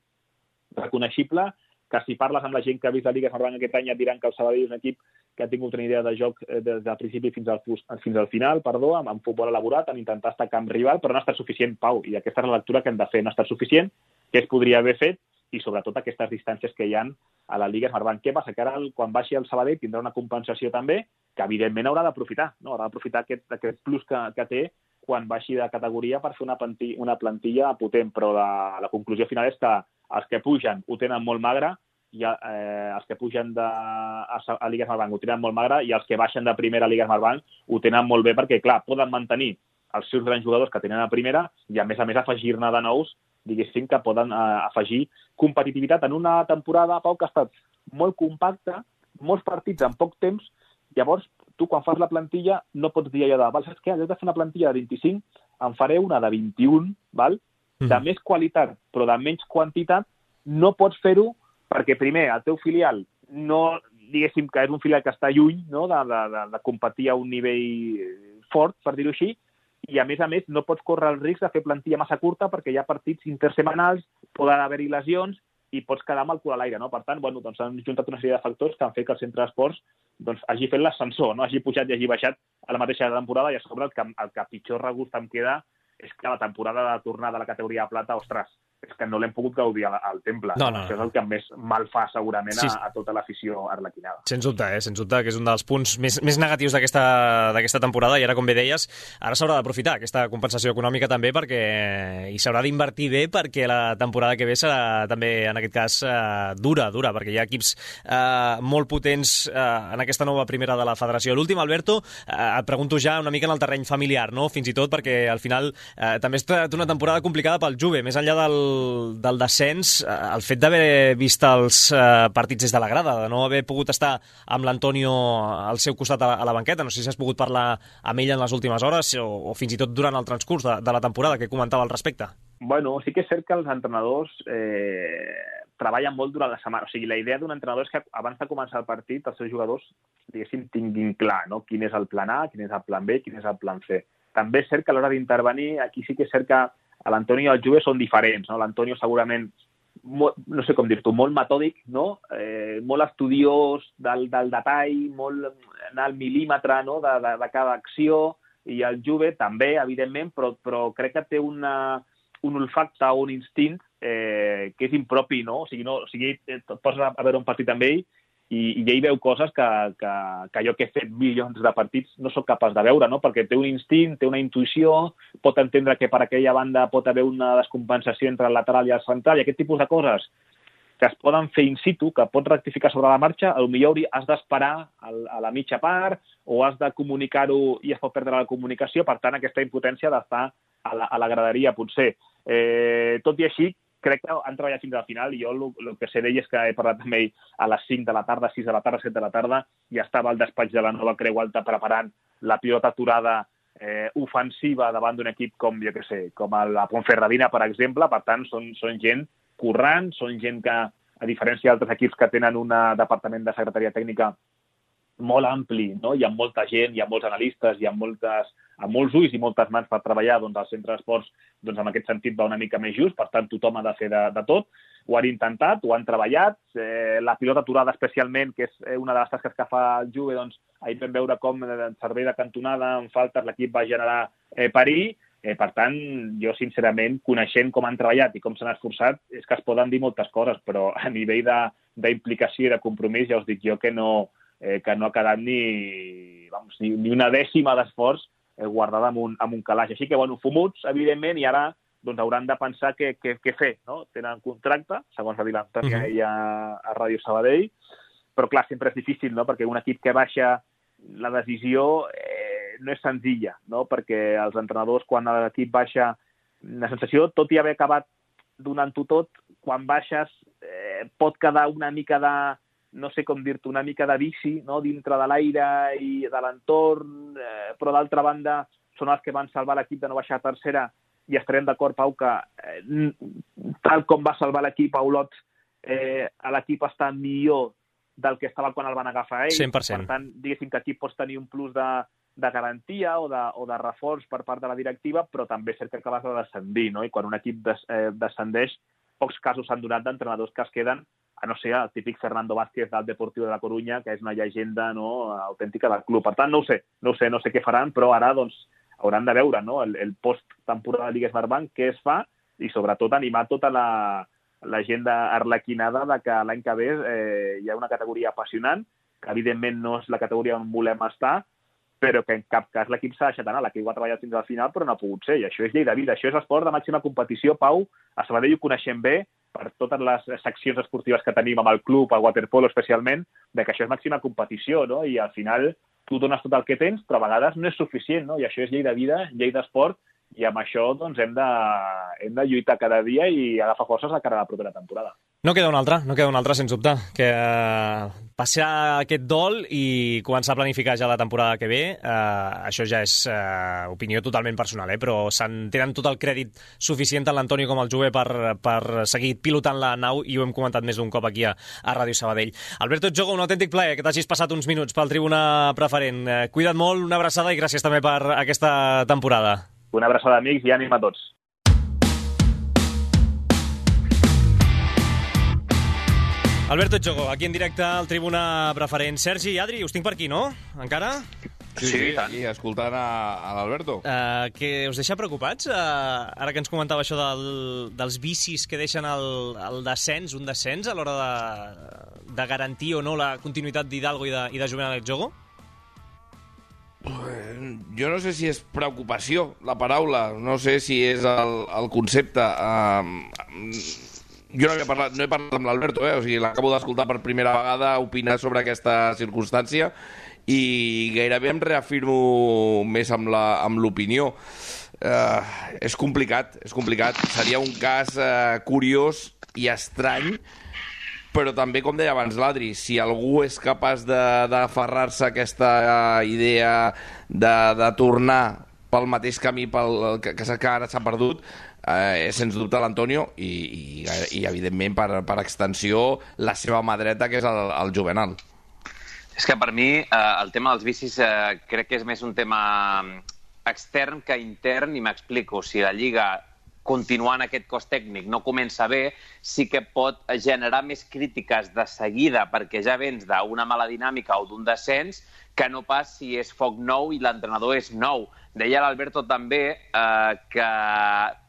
reconeixible, que si parles amb la gent que ha vist la Lliga Smartbank aquest any et diran que el Sabadell és un equip que ha tingut una idea de joc des del principi fins al, fins al final, perdó, amb, amb futbol elaborat, en intentar estar camp rival, però no ha estat suficient, Pau, i aquesta és la lectura que hem de fer, no ha estat suficient, que es podria haver fet, i sobretot aquestes distàncies que hi ha a la Lliga Smartbank. Què passa? Que ara, quan baixi el Sabadell, tindrà una compensació també, que evidentment haurà d'aprofitar, no? Haurà d'aprofitar aquest, aquest plus que, que té quan baixi de categoria per fer una plantilla, una plantilla potent, però la, la conclusió final és que els que pugen ho tenen molt magre, i eh, els que pugen de, a, a Lliga Smartbank ho tenen molt magre, i els que baixen de primera a Lliga Smartbank ho tenen molt bé, perquè, clar, poden mantenir els seus grans jugadors que tenen a primera i, a més a més, afegir-ne de nous, diguéssim, que poden eh, afegir competitivitat en una temporada, Pau, que ha estat molt compacta, molts partits en poc temps. Llavors, tu, quan fas la plantilla, no pots dir allò de, val, saps què? En lloc de fer una plantilla de vint-i-cinc, en faré una de vint-i-un, val? De mm. més qualitat, però de menys quantitat. No pots fer-ho perquè, primer, el teu filial no, diguéssim, que és un filial que està lluny, no?, de, de, de, de competir a un nivell fort, per dir-ho així, i, a més a més, no pots córrer el risc de fer plantilla massa curta perquè hi ha partits intersemanals, poden haver-hi lesions i pots quedar amb el cul a l'aire, no? Per tant, bueno, doncs han juntat una sèrie de factors que han fet que el centre d'esports doncs, hagi fet l'ascensor, no? Hagi pujat i hagi baixat a la mateixa temporada, i a sobre el que, el que pitjor regust em queda és que la temporada de tornada a la categoria de plata, ostres, és que no l'hem pogut gaudir al, al temple. No, no, Això és el que més mal fa, segurament, sí. a, a tota l'afició arlequinada. Sens dubte, eh? Sens dubte, que és un dels punts més, més negatius d'aquesta temporada, i ara, com bé deies, ara s'haurà d'aprofitar aquesta compensació econòmica també, perquè i s'haurà d'invertir bé, perquè la temporada que ve serà també, en aquest cas, eh, dura, dura, perquè hi ha equips eh, molt potents eh, en aquesta nova primera de la federació. L'últim, Alberto, eh, et pregunto ja una mica en el terreny familiar, no? Fins i tot perquè, al final, eh, també és una temporada complicada pel Juve, més enllà del del descens, el fet d'haver vist els eh, partits des de la grada, de no haver pogut estar amb l'Antonio al seu costat a, a la banqueta, no sé si has pogut parlar amb ell en les últimes hores o, o fins i tot durant el transcurs de, de la temporada, que comentava al respecte. Bueno, sí que és cert que els entrenadors eh, treballen molt durant la setmana. O sigui, la idea d'un entrenador és que abans de començar el partit els seus jugadors, diguéssim, tinguin clar, no? Quin és el plan A, quin és el plan B, quin és el plan C. També és cert que a l'hora d'intervenir, aquí sí que és cert que l'Antonio i el Juve són diferents, no? L'Antonio segurament, molt, no sé com dir-t'ho, molt metòdic, no? Eh, molt estudiós del, del detall, molt anar al mil·límetre, no? de, de, de cada acció, i el Juve també, evidentment, però, però crec que té una, un olfacte o un instint eh, que és impropi, no? O sigui, no, o sigui et poses a veure un partit amb ell i, i ell veu coses que, que, que jo que he fet milions de partits no sóc capaç de veure, no? Perquè té un instint, té una intuïció, pot entendre que per aquella banda pot haver una descompensació entre el lateral i el central, i aquest tipus de coses que es poden fer in situ, que pots rectificar sobre la marxa, potser has d'esperar a la mitja part o has de comunicar-ho i es pot perdre la comunicació, per tant, aquesta impotència d'estar a la, a la graderia, potser. Eh, tot i així, crec que han treballat fins al final i jo el que sé d'ell és que he parlat amb ell a les cinc de la tarda, sis de la tarda, set de la tarda, i estava al despatx de la nova Creu Alta preparant la pilota aturada eh, ofensiva davant d'un equip com, jo què sé, com la Ponferradina, per exemple. Per tant, són, són gent currant, són gent que, a diferència d'altres equips que tenen un departament de secretaria tècnica molt ampli, no? Hi ha molta gent, hi ha molts analistes, hi ha moltes, amb molts ulls i moltes mans per treballar, doncs el centre d'esports doncs, en aquest sentit va una mica més just, per tant tothom ha de fer de, de tot. Ho han intentat, ho han treballat, eh, la pilota aturada especialment, que és una de les tasques que fa el Juve, doncs ahir vam veure com en servei de cantonada, en faltes, l'equip va generar eh, perill. Eh, per tant, jo sincerament, coneixent com han treballat i com s'han esforçat, és que es poden dir moltes coses, però a nivell d'implicació i de compromís ja us dic jo que no, eh, que no ha quedat ni, vamos, ni, ni una dècima d'esforç eh, guardada amb un, amb un calaix. Així que, bueno, fumuts, evidentment, i ara doncs, hauran de pensar què, què, què fer, no? Tenen contracte, segons va dir l'Antoni uh -huh. a, a Ràdio Sabadell, però clar, sempre és difícil, no? Perquè un equip que baixa la decisió eh, no és senzilla, no? Perquè els entrenadors, quan l'equip baixa, la sensació, tot i haver acabat donant-ho tot, quan baixes eh, pot quedar una mica de, no sé com dir-te, una mica de vici, no? Dintre de l'aire i de l'entorn, eh, però d'altra banda són els que van salvar l'equip de no baixar a tercera, i estarem d'acord, Pau, que eh, tal com va salvar l'equip a Olot, eh, l'equip està millor del que estava quan el van agafar ells. cent per cent. Per tant, diguéssim que aquí pots tenir un plus de, de garantia o de, o de reforç per part de la directiva, però també és cert que acabes de descendir, no? I quan un equip des, eh, descendeix, pocs casos s'han donat d'entrenadors que es queden, a no ser el típic Fernando Vázquez del Deportiu de la Corunya, que és una llegenda, no, autèntica del club. Per tant, no ho sé, no ho sé, no sé què faran, però ara doncs, hauran de veure, no? el, el post-temporada de Lliga Smartbank, què es fa, i sobretot animar tota la, la gent arlequinada de que l'any que ve eh, hi ha una categoria apassionant, que evidentment no és la categoria on volem estar, però que en cap cas l'equip s'ha deixat anar, l'equip ho ha treballat fins al final, però no ha pogut ser, i això és llei de vida, això és esport de màxima competició. Pau, a Sabadell ho coneixem bé, per totes les seccions esportives que tenim amb el club, el waterpolo especialment, de que això és màxima competició, no? I al final tu dones tot el que tens, però a vegades no és suficient, no? I això és llei de vida, llei d'esport, i amb això doncs, hem, de, hem de lluitar cada dia i agafar forces a cara a la propera temporada. No queda un altre, no queda un altre, sens dubte, que eh, passar aquest dol i començar a planificar ja la temporada que ve, eh, això ja és eh, opinió totalment personal, eh, però tenen tot el crèdit suficient tant l'Antonio com el Juve per, per seguir pilotant la nau, i ho hem comentat més d'un cop aquí a, a Ràdio Sabadell. Alberto Djogo, un autèntic plaer que t'hagis passat uns minuts pel Tribuna Preferent. Eh, cuida't molt, una abraçada i gràcies també per aquesta temporada. Una abraçada, amics, i ànim a tots. Alberto Djogo, aquí en directe al Tribuna Preferent. Sergi i Adri, us tinc per aquí, no? Encara? Sí, sí, aquí, escoltant a, a l'Alberto. Uh, que us deixa preocupats? Uh, ara que ens comentava això del, dels vicis que deixen el, el descens, un descens, a l'hora de, de garantir o no la continuïtat d'Hidalgo i de, i de Juvenal Djogo? Jo no sé si és preocupació la paraula, no sé si és el, el concepte. Uh, jo no, havia parlat, no he parlat amb l'Alberto, eh? O sigui, l'acabo d'escoltar per primera vegada opinar sobre aquesta circumstància i gairebé em reafirmo més amb l'opinió. Uh, és complicat, és complicat. Seria un cas uh, curiós i estrany, però també, com deia abans l'Adri, si algú és capaç d'aferrar-se a aquesta uh, idea de, de tornar pel mateix camí pel, que, que ara s'ha perdut, eh, és sens dubte l'Antonio i, i, i evidentment, per, per extensió, la seva mà dreta, que és el, el Juvenal. És que per mi eh, el tema dels vicis eh, crec que és més un tema extern que intern, i m'explico. Si la Lliga, continuant aquest cos tècnic, no comença bé, sí que pot generar més crítiques de seguida perquè ja vens d'una mala dinàmica o d'un descens que no pas si és foc nou i l'entrenador és nou. Deia l'Alberto també eh, que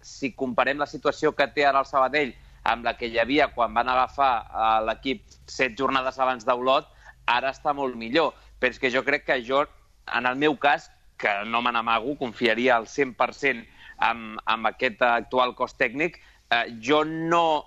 si comparem la situació que té ara el Sabadell amb la que hi havia quan van agafar eh, l'equip set jornades abans d'Olot, ara està molt millor. Però és que jo crec que jo, en el meu cas, que no me n'amago, confiaria al cent per cent amb, amb aquest actual cos tècnic, eh, jo no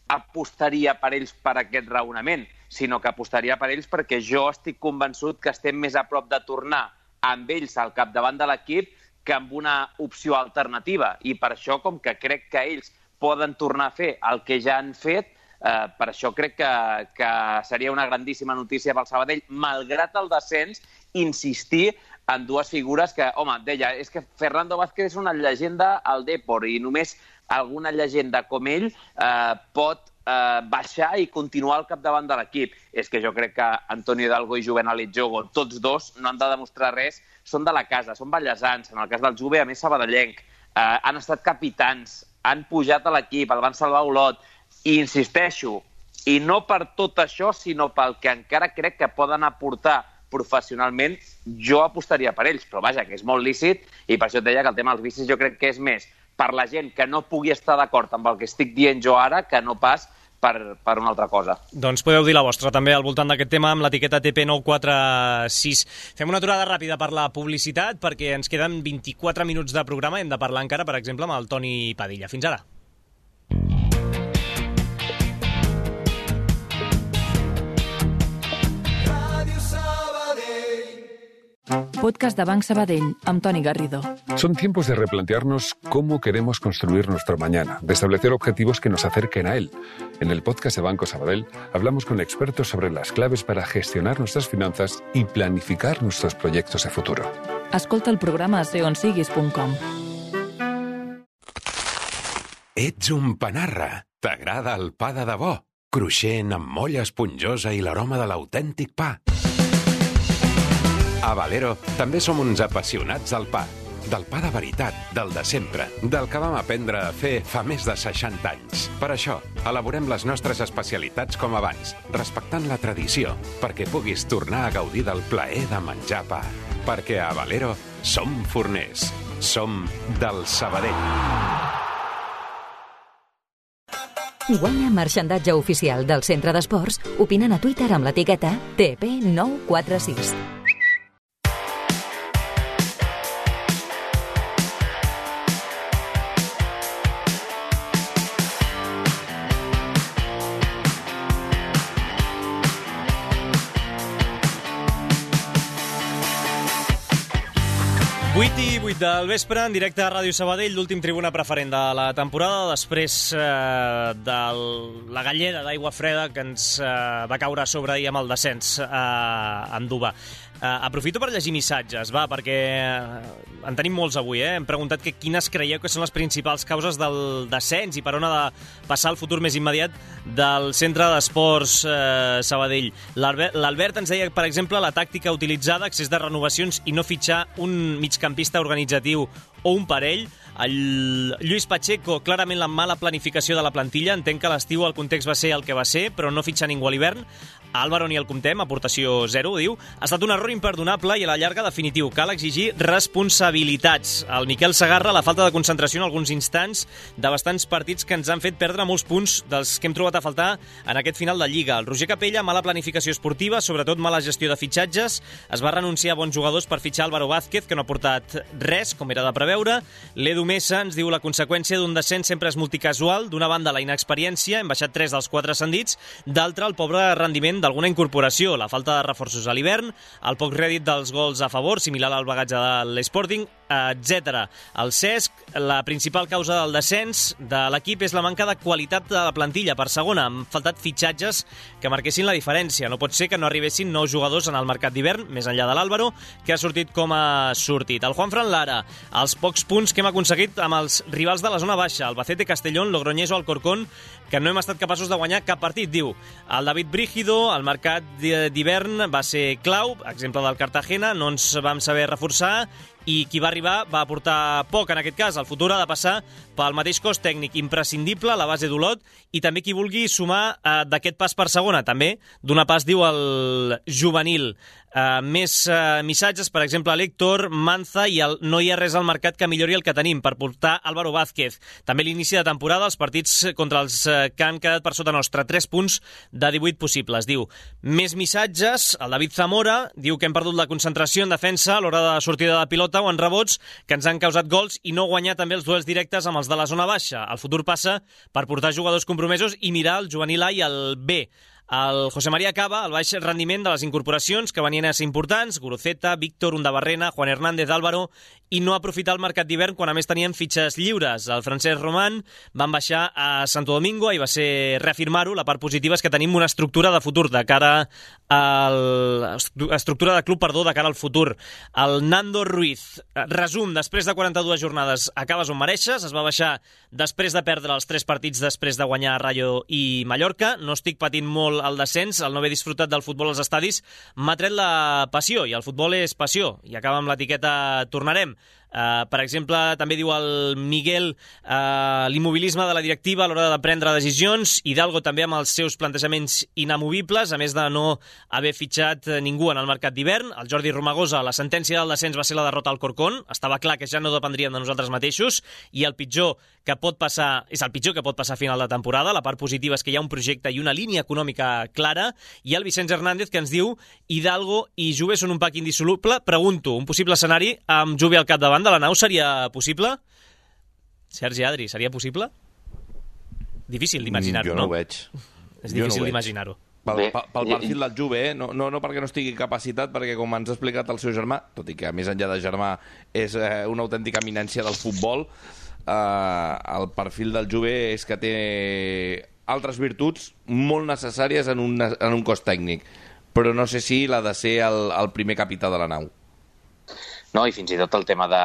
apostaria per ells per aquest raonament, sinó que apostaria per ells perquè jo estic convençut que estem més a prop de tornar amb ells al capdavant de l'equip que amb una opció alternativa. I per això, com que crec que ells poden tornar a fer el que ja han fet, eh, per això crec que, que seria una grandíssima notícia pel Sabadell, malgrat el descens, insistir en dues figures que, home, deia, és que Fernando Vázquez és una llegenda al Depor i només alguna llegenda com ell eh, pot eh, baixar i continuar al capdavant de l'equip. És que jo crec que Antonio Hidalgo i Juvenal Itjogo, tots dos, no han de demostrar res, són de la casa, són ballesans, en el cas del Juve, a més sabadellenc, eh, han estat capitans, han pujat a l'equip, el van salvar Olot, i insisteixo, i no per tot això, sinó pel que encara crec que poden aportar professionalment, jo apostaria per ells, però vaja, que és molt lícit, i per això et deia que el tema dels vicis jo crec que és més per la gent que no pugui estar d'acord amb el que estic dient jo ara, que no pas per, per una altra cosa. Doncs podeu dir la vostra també al voltant d'aquest tema amb l'etiqueta T P nou quatre sis. Fem una aturada ràpida per la publicitat, perquè ens queden vint-i-quatre minuts de programa, hem de parlar encara, per exemple, amb el Toni Padilla. Fins ara. Podcast de Banc Sabadell, amb Toni Garrido. Son tiempos de replantearnos cómo queremos construir nuestro mañana, de establecer objetivos que nos acerquen a él. En el podcast de Banco Sabadell hablamos con expertos sobre las claves para gestionar nuestras finanzas y planificar nuestros proyectos de futuro. Escolta el programa a seonsiguis punt com. Ets un panarra. T'agrada el pa de debò? Cruixent, amb molla esponjosa i l'aroma de l'autèntic pa. A Valero també som uns apassionats del pa. Del pa de veritat, del de sempre, del que vam aprendre a fer fa més de seixanta anys. Per això, elaborem les nostres especialitats com abans, respectant la tradició, perquè puguis tornar a gaudir del plaer de menjar pa. Perquè a Valero som forners. Som del Sabadell. Guanya marxandatge oficial del Centre d'Esports opinant a Twitter amb l'etiqueta T P nou quatre sis. vuit i vuit del vespre, en directe a Ràdio Sabadell, l'últim tribuna preferent de la temporada, després eh, de la galleda d'aigua freda que ens eh, va caure a sobre ahir amb el descens eh, a Andúba. Uh, aprofito per llegir missatges, va, perquè uh, en tenim molts avui, eh? Hem preguntat que quines creieu que són les principals causes del descens i per on ha de passar el futur més immediat del Centre d'Esports uh, Sabadell. L'Albert ens deia, per exemple, la tàctica utilitzada, excés de renovacions i no fitxar un migcampista organitzatiu o un parell. El Lluís Pacheco, clarament la mala planificació de la plantilla. Entenc que a l'estiu el context va ser el que va ser, però no fitxar ningú a l'hivern. A Álvaro ni el comptem, aportació zero, diu. Ha estat un error imperdonable i a la llarga definitiu. Cal exigir responsabilitats. El Miquel Segarra, la falta de concentració en alguns instants de bastants partits que ens han fet perdre molts punts dels que hem trobat a faltar en aquest final de Lliga. El Roger Capella, mala planificació esportiva, sobretot mala gestió de fitxatges. Es va renunciar a bons jugadors per fitxar Álvaro Vázquez, que no ha portat res, com era de preveure. L'Edu Mesa ens diu la conseqüència d'un descens sempre és multicasual. D'una banda, la inexperiència, hem baixat tres dels quatre ascendits. D'altra, el pobre rendiment d'alguna incorporació, la falta de reforços a l'hivern, el poc rèdit dels gols a favor, similar al bagatge de l'Sporting, etcètera. El Cesc, la principal causa del descens de l'equip és la manca de qualitat de la plantilla. Per segona, han faltat fitxatges que marquessin la diferència. No pot ser que no arribessin nous jugadors en el mercat d'hivern, més enllà de l'Álvaro, que ha sortit com ha sortit. El Juanfran Lara, els pocs punts que hem aconseguit amb els rivals de la zona baixa, Albacete, Castellón, Logroñés o Alcorcón, que no hem estat capaços de guanyar cap partit, diu. El David Brígido, el mercat d'hivern va ser clau, exemple del Cartagena, no ens vam saber reforçar, i qui va arribar va aportar poc en aquest cas. El futur ha de passar pel mateix cos tècnic imprescindible, la base d'Olot, i també qui vulgui sumar eh, d'aquest pas per segona, també donar pas, diu, el juvenil. Uh, més uh, missatges, per exemple, l'Héctor, Manza, i el no hi ha res al mercat que millori el que tenim per portar Álvaro Vázquez. També l'inici de temporada, els partits contra els uh, que han quedat per sota nostra, tres punts de divuit possibles, diu. Més missatges, el David Zamora diu que hem perdut la concentració en defensa a l'hora de sortida de pilota o en rebots, que ens han causat gols i no guanyar també els duels directes amb els de la zona baixa. El futur passa per portar jugadors compromesos i mirar el juvenil A i el B. El José María Cava, el baix rendiment de les incorporacions que venien a ser importants, Guruceta, Víctor, Undabarrena, Juan Hernández, Álvaro, i no aprofitar el mercat d'hivern quan a més tenien fitxes lliures. El Francesc Román van baixar a Santo Domingo i va ser reafirmar-ho. La part positiva és que tenim una estructura de futur de cara al... estructura de club, perdó, de cara al futur. El Nando Ruiz, resum, després de quaranta-dues jornades acabes on mereixes, es va baixar després de perdre els tres partits després de guanyar Rayo i Mallorca. No estic patint molt el descens, el no haver disfrutat del futbol als estadis m'ha tret la passió, i el futbol és passió, i acaba amb l'etiqueta tornarem. Uh, per exemple, també diu el Miguel, uh, l'immobilisme de la directiva a l'hora de prendre decisions, Hidalgo també amb els seus plantejaments inamovibles, a més de no haver fitxat ningú en el mercat d'hivern. El Jordi Romagosa, la sentència del descens va ser la derrota al Corcón, estava clar que ja no dependríem de nosaltres mateixos, i el pitjor que pot passar, és el pitjor que pot passar a final de temporada. La part positiva és que hi ha un projecte i una línia econòmica clara, i el Vicenç Hernández, que ens diu Hidalgo i Juve són un pack indissoluble. Pregunto, un possible escenari amb Juve al capdavant de la nau seria possible? Sergi Adri, seria possible? Difícil d'imaginar-ho, no? Jo no ho veig. És difícil no d'imaginar-ho. Pel, pel, pel perfil del Juve, eh? no, no, no perquè no estigui capacitat, perquè com ens ha explicat el seu germà, tot i que més enllà de germà és eh, una autèntica eminència del futbol, eh, el perfil del Juve és que té altres virtuts molt necessàries en un, en un cos tècnic, però no sé si l'ha de ser el, el primer capità de la nau. No, i fins i tot el tema de,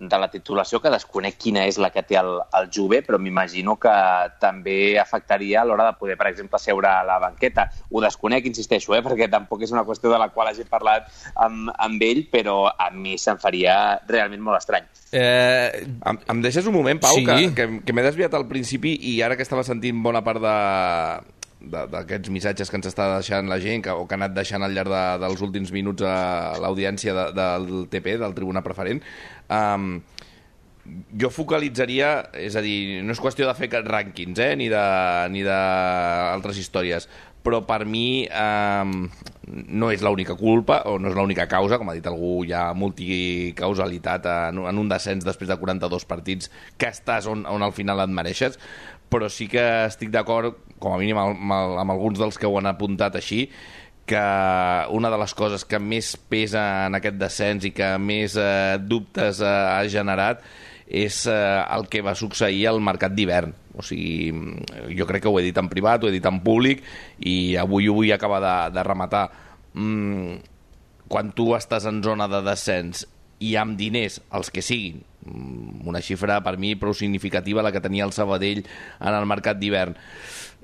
de la titulació, que desconec quina és la que té el, el Juve, però m'imagino que també afectaria a l'hora de poder, per exemple, seure a la banqueta. Ho desconec, insisteixo, eh, perquè tampoc és una qüestió de la qual hagi parlat amb, amb ell, però a mi se'm faria realment molt estrany. Eh, em, em deixes un moment, Pau, sí. que, que, que m'he desviat al principi i ara que estava sentint bona part de... d'aquests missatges que ens està deixant la gent que, o que ha anat deixant al llarg de, dels últims minuts a l'audiència de, del T P, del Tribuna Preferent, um, jo focalitzaria, és a dir, no és qüestió de fer rànquings, eh, ni de, ni d'altres històries, però per mi eh, no és l'única culpa o no és l'única causa, com ha dit algú, hi ha multicausalitat en, en un descens després de quaranta-dos partits que estàs on, on al final et mereixes, però sí que estic d'acord, com a mínim amb, amb alguns dels que ho han apuntat així, que una de les coses que més pesa en aquest descens i que més eh, dubtes eh, ha generat és eh, el que va succeir al mercat d'hivern. O sigui, jo crec que ho he dit en privat, ho he dit en públic, i avui ho vull acabar de, de rematar. Mm, quan tu estàs en zona de descens i amb diners, els que siguin, una xifra per mi prou significativa, la que tenia el Sabadell en el mercat d'hivern,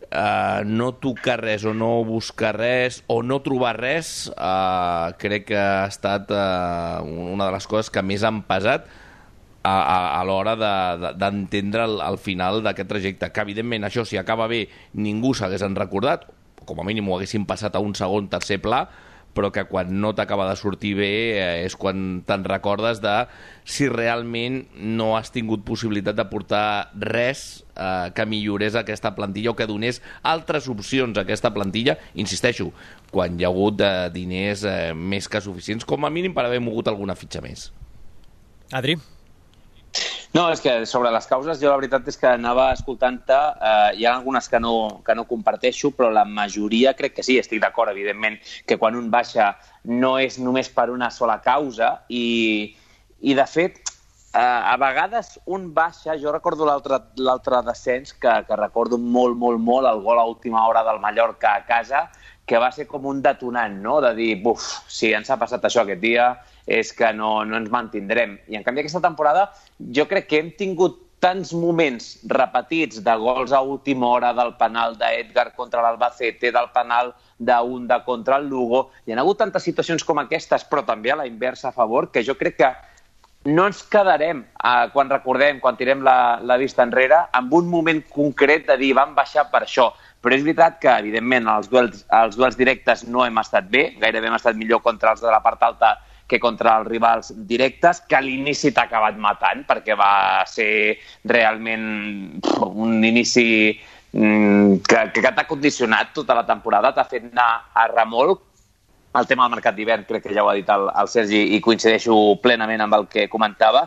uh, no tocar res o no buscar res o no trobar res, uh, crec que ha estat uh, una de les coses que més han pesat a, a, a l'hora d'entendre de, de, el, el final d'aquest trajecte, que evidentment això, si acaba bé, ningú s'hagués recordat, com a mínim ho haguessin passat a un segon, tercer pla, però que quan no t'acaba de sortir bé eh, és quan te'n recordes de si realment no has tingut possibilitat de portar res eh, que millorés aquesta plantilla o que donés altres opcions a aquesta plantilla, insisteixo, quan hi ha hagut eh, diners eh, més que suficients, com a mínim per haver mogut alguna fitxa més. Adri? No, és que sobre les causes jo la veritat és que anava escoltant-te, eh, hi ha algunes que no, que no comparteixo, però la majoria crec que sí, estic d'acord, evidentment, que quan un baixa no és només per una sola causa i, i de fet, eh, a vegades un baixa, jo recordo l'altre descens, que, que recordo molt, molt, molt, el gol a última hora del Mallorca a casa, que va ser com un detonant, no?, de dir, buf, si ens ha passat això aquest dia, és que no, no ens mantindrem. I en canvi aquesta temporada jo crec que hem tingut tants moments repetits de gols a última hora, del penal d'Edgar contra l'Albacete, del penal d'Unda contra el Lugo. Hi ha hagut tantes situacions com aquestes, però també a la inversa a favor, que jo crec que no ens quedarem, eh, quan recordem, quan tirem la, la vista enrere, amb un moment concret de dir vam baixar per això. Però és veritat que, evidentment, els duels, els duels directes no hem estat bé, gairebé hem estat millor contra els de la part alta que contra els rivals directes, que a l'inici t'ha acabat matant, perquè va ser realment un inici que, que t'ha condicionat tota la temporada, t'ha fet anar a remolc. El tema del mercat d'hivern crec que ja ho ha dit el, el Sergi i coincideixo plenament amb el que comentava.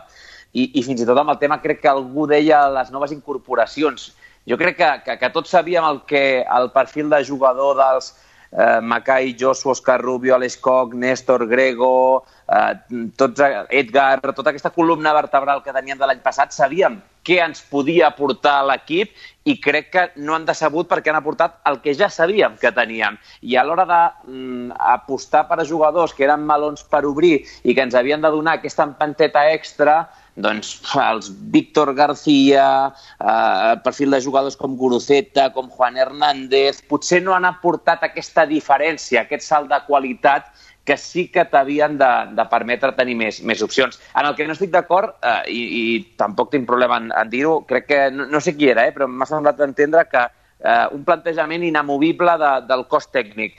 I, i fins i tot amb el tema crec que algú deia les noves incorporacions. Jo crec que, que, que tots sabíem el, que, el perfil de jugador dels eh, Macai, Josu, Òscar Rubio, Aleix Koch, Néstor, Grego, eh, tots, Edgar, tota aquesta columna vertebral que teníem de l'any passat, sabíem què ens podia aportar l'equip i crec que no han decebut perquè han aportat el que ja sabíem que teníem. I a l'hora d'apostar per a jugadors que eren melons per obrir i que ens havien de donar aquesta empanteta extra, doncs els Víctor García, eh, perfil de jugadors com Guruceta, com Juan Hernández, potser no han aportat aquesta diferència, aquest salt de qualitat que sí que t'havien de, de permetre tenir més, més opcions. En el que no estic d'acord, eh, i, i tampoc tinc problema en, en dir-ho, crec que, no, no sé qui era, eh, però m'ha semblat entendre que eh, un plantejament inamovible de, del cos tècnic.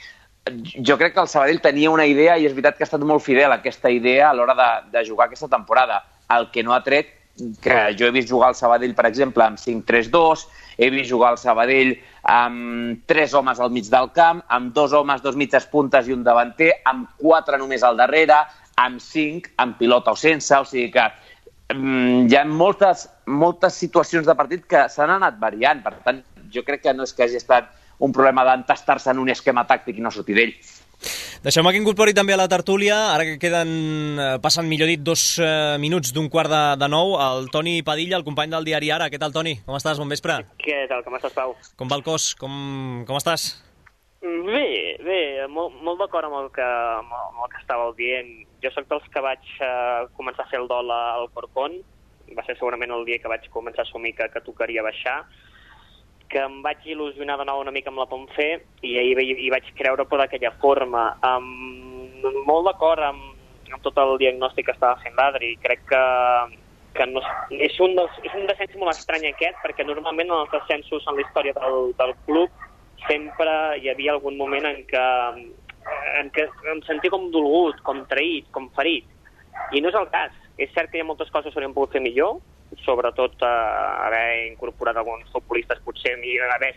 Jo crec que el Sabadell tenia una idea i és veritat que ha estat molt fidel a aquesta idea a l'hora de, de jugar aquesta temporada. El que no ha tret, que jo he vist jugar al Sabadell, per exemple, amb cinc tres dos, he vist jugar al Sabadell amb tres homes al mig del camp, amb dos homes, dos mitges puntes i un davanter, amb quatre només al darrere, amb cinc, amb pilota o sense, o sigui que um, hi ha moltes, moltes situacions de partit que s'han anat variant. Per tant, jo crec que no és que hagi estat un problema d'entastar-se en un esquema tàctic i no sortir d'ell. Deixeu-me que incorpori també a la tertúlia, ara que queden, passen millor dit, dos eh, minuts d'un quart de, de nou, el Toni Padilla, el company del diari Ara. Què tal, Toni? Com estàs? Bon vespre. Què tal? Com estàs, Pau? Com va el cos? Com, com estàs? Bé, bé, molt, molt d'acord amb, el que, amb el que estàveu dient. Jo soc dels que vaig eh, començar a fer el dol al Corcón. Va ser segurament el dia que vaig començar a assumir que, que tocaria baixar, que em vaig il·lusionar de nou una mica amb la Ponfe i ahir hi vaig creure però d'aquella forma. Um, molt d'acord amb, amb tot el diagnòstic que estava fent l'Adri. Crec que, que no, és, un dels, és un descens molt estrany aquest, perquè normalment en els descensos en la història del, del club sempre hi havia algun moment en què, en què em sentia com dolgut, com traït, com ferit. I no és el cas. És cert que hi ha moltes coses que s'haurien pogut fer millor, sobretot eh, haver incorporat alguns futbolistes potser haver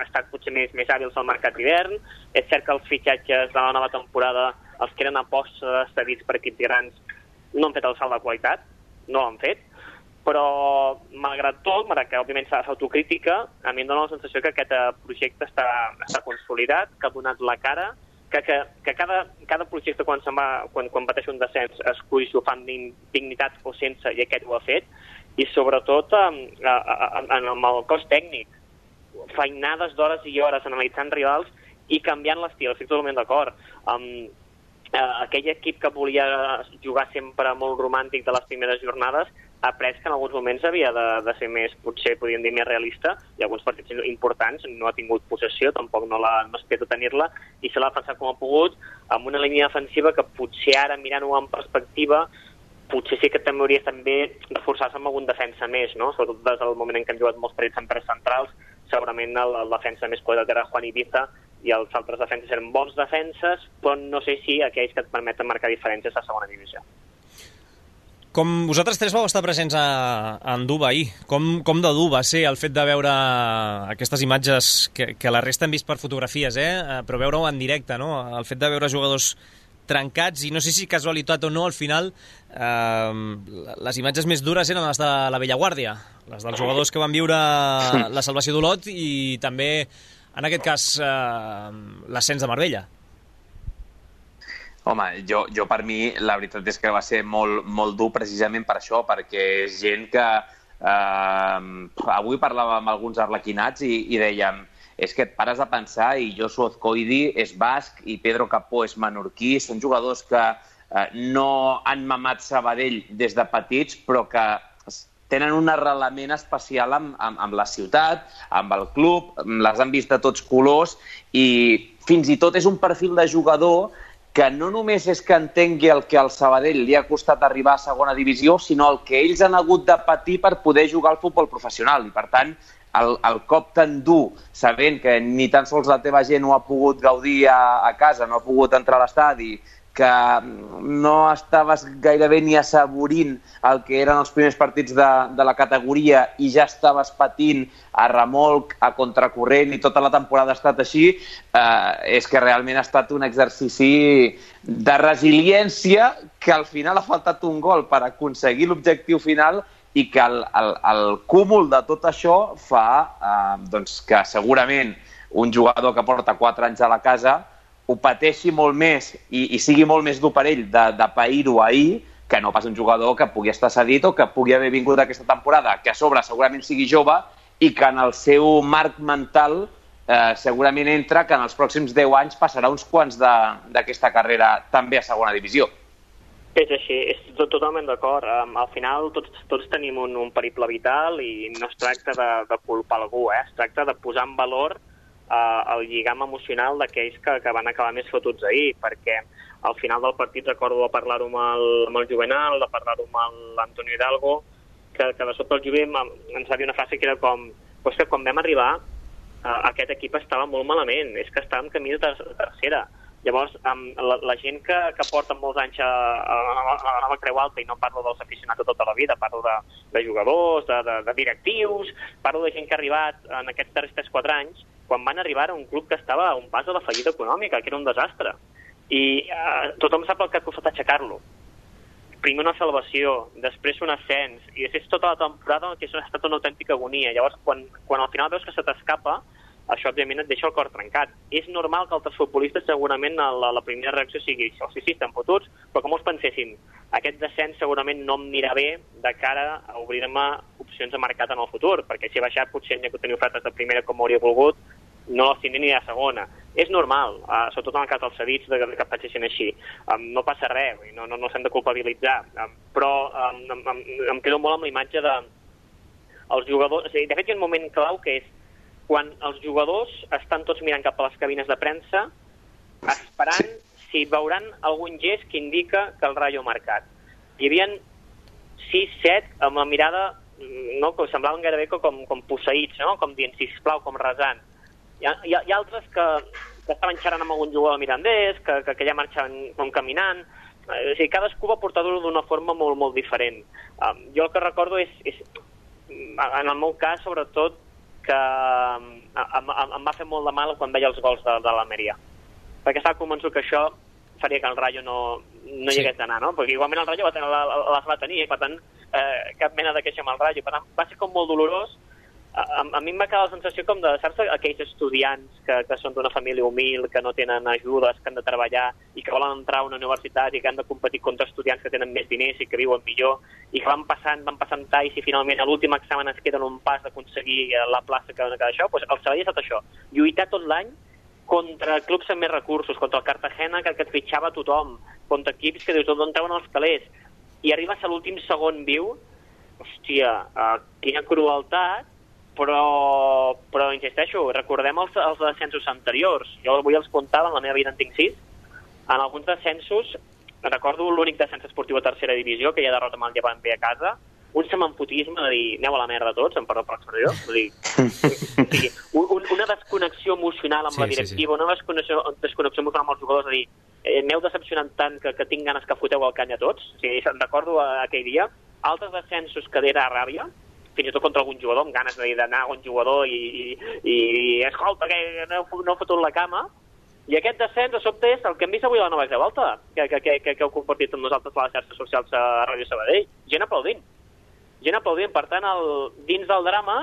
estat potser més, més hàbils al mercat d'hivern. És cert que els fitxatges de la nova temporada, els que eren apostes cedits per equips grans, no han fet el salt de qualitat, no l'han fet, però malgrat tot, malgrat que òbviament s'ha de fer autocrítica, a mi em dóna la sensació que aquest projecte està, està consolidat, que ha donat la cara, que, que, que cada, cada projecte quan, se'n va, quan, quan pateix un descens es cull si ho fan dignitat o sense, i aquest ho ha fet, i sobretot en, en, en el cos tècnic, feinades d'hores i hores analitzant rivals i canviant l'estil, estic totalment d'acord. Um, eh, aquell equip que volia jugar sempre molt romàntic de les primeres jornades ha après que en alguns moments havia de, de ser més, potser podríem dir més realista, i alguns partits importants no ha tingut possessió, tampoc no l'ha no espera tenir-la, i se l'ha defensat com ha pogut, amb una línia defensiva que potser ara, mirant-ho en perspectiva, potser sí que també hauria també reforçar-se amb algun defensa més, no? Sobretot des del moment en què hem jugat molts partits en tres centrals, segurament el, el defensa més quadrat era Juan Ibiza i els altres defenses eren bons defenses, però no sé si aquells que et permeten marcar diferències a segona divisió. Com vosaltres tres vau estar presents a, a Anduba ahir, com, com de dur va ser el fet de veure aquestes imatges que, que la resta hem vist per fotografies, eh? Però veure-ho en directe, no? El fet de veure jugadors trencats, i no sé si casualitat o no, al final eh, les imatges més dures eren les de la vella guàrdia, les dels jugadors que van viure la salvació d'Olot i també, en aquest cas, eh, l'ascens de Marbella. Home, jo, jo per mi la veritat és que va ser molt, molt dur precisament per això, perquè és gent que eh, avui parlàvem amb alguns arlequinats i, i dèiem és que et pares a pensar i Josu Azcoidi és basc i Pedro Capó és menorquí, són jugadors que eh, no han mamat Sabadell des de petits, però que tenen un arrelament especial amb, amb, amb la ciutat, amb el club, les han vist de tots colors i fins i tot és un perfil de jugador que no només és que entengui el que al Sabadell li ha costat arribar a segona divisió, sinó el que ells han hagut de patir per poder jugar al futbol professional. I per tant, el, el cop tan dur, sabent que ni tan sols la teva gent ho ha pogut gaudir a, a casa, no ha pogut entrar a l'estadi, que no estaves gairebé ni assaborint el que eren els primers partits de, de la categoria i ja estaves patint a remolc, a contracorrent i tota la temporada ha estat així, eh, és que realment ha estat un exercici de resiliència que al final ha faltat un gol per aconseguir l'objectiu final i que el, el, el cúmul de tot això fa eh, doncs que segurament un jugador que porta quatre anys a la casa ho pateixi molt més i, i sigui molt més dur per ell de, de pair-ho ahir que no pas un jugador que pugui estar cedit o que pugui haver vingut aquesta temporada, que a sobre segurament sigui jove i que en el seu marc mental eh, segurament entra que en els pròxims deu anys passarà uns quants d'aquesta carrera també a segona divisió. És així, és tot, totalment d'acord. Um, al final tots, tots tenim un, un periple vital i no es tracta de, de culpar algú, eh? Es tracta de posar en valor uh, el lligam emocional d'aquells que, que van acabar més fotuts ahir, perquè al final del partit recordo de parlar-ho amb, el, amb el Juvenal, de parlar-ho amb l'Antonio Hidalgo, que, que de sobte el Juve ens va dir una frase que era com pues que quan vam arribar uh, aquest equip estava molt malament, és que estàvem camí de tercera. Llavors, amb la, la gent que, que porta molts anys a, a, a la nova Creu Alta, i no parlo dels aficionats de tota la vida, parlo de, de jugadors, de, de, de directius, parlo de gent que ha arribat en aquests darrers tres quatre anys, quan van arribar a un club que estava a un pas de la fallida econòmica, que era un desastre. I eh, tothom sap el que ha costat aixecar-lo. Primer una salvació, després un ascens, i després tota la temporada que ha estat una autèntica agonia. Llavors, quan, quan al final veus que se t'escapa, això, òbviament, et deixa el cor trencat. És normal que altres futbolistes, segurament, la, la primera reacció sigui això. Sí, sí, estan fotuts, però que molts pensessin aquest descens segurament no em anirà bé de cara a obrir-me opcions de mercat en el futur, perquè si he baixat potser n'hi ha que tenir ofertes de primera com hauria volgut, no les tindré ni de segona. És normal, uh, sobretot en el cas dels cedits, de, de que pensessin així. Um, no passa res, no, no, no s'hem de culpabilitzar, um, però um, em, em, em quedo molt amb la imatge de els jugadors. O sigui, de fet, hi ha un moment clau que és quan els jugadors estan tots mirant cap a les cabines de premsa esperant si veuran algun gest que indica que el Rayo ha marcat. Hi havia sis set amb la mirada, no, que semblaven gairebé com, com posseïts, no? Com dient, sisplau, com resant. Hi ha, hi ha, hi ha altres que, que estaven xerrant amb algun jugador mirandès, que, que, que ja marxaven com caminant. O sigui, cadascú va portar-ho d'una forma molt, molt diferent. Um, jo el que recordo és, és, en el meu cas, sobretot, que em, em, em va fer molt de mal quan veia els gols de, de l'Almeria. Perquè estava convençut que això faria que el Rayo no, no hi hagués d'anar, no? Perquè igualment el Rayo va tenir, la, les va tenir, i per tant, eh, cap mena de queixa amb el Rayo. Per tant, va ser com molt dolorós. A, a mi em va quedar la sensació com de, saps, aquells estudiants que, que són d'una família humil, que no tenen ajudes, que han de treballar i que volen entrar a una universitat i que han de competir contra estudiants que tenen més diners i que viuen millor, i que van passant, van passant talls i finalment a l'últim examen es queden un pas d'aconseguir la plaça que dona cada això. Doncs el Sabadell ha estat això, lluitar tot l'any contra clubs amb més recursos, contra el Cartagena, que, que et fitxava tothom, contra equips que dius d'on treuen els calés, i arribes a l'últim segon viu, hòstia, uh, quina crueltat. Però, però insisteixo, recordem els, els descensos anteriors. Jo avui els comptava, en la meva vida en tinc sis. En alguns descensos, recordo l'únic descens esportiu a tercera divisió, que ja derrota amb el Llevant ve a casa, un semanfotisme de dir, aneu a la merda tots, em perdó per l'expressió, vull dir, o sigui, un, una desconnexió emocional amb sí, la directiva, sí, sí. Una desconnexió, desconnexió emocional amb els jugadors, de dir, eh, m'heu decepcionat tant que, que tinc ganes que foteu el canya a tots. O sigui, recordo aquell dia. Altres descensos que era ràbia, fins i tot contra algun jugador, amb ganes d'anar a un jugador i, i, i escolta, que no, no he fotut la cama, I aquest descens, de sobte, és el que hem vist avui a la nova revolta, que, que, que, que heu compartit amb nosaltres a les xarxes socials a Ràdio Sabadell. Gent aplaudint. Gent aplaudint. Per tant, el, dins del drama,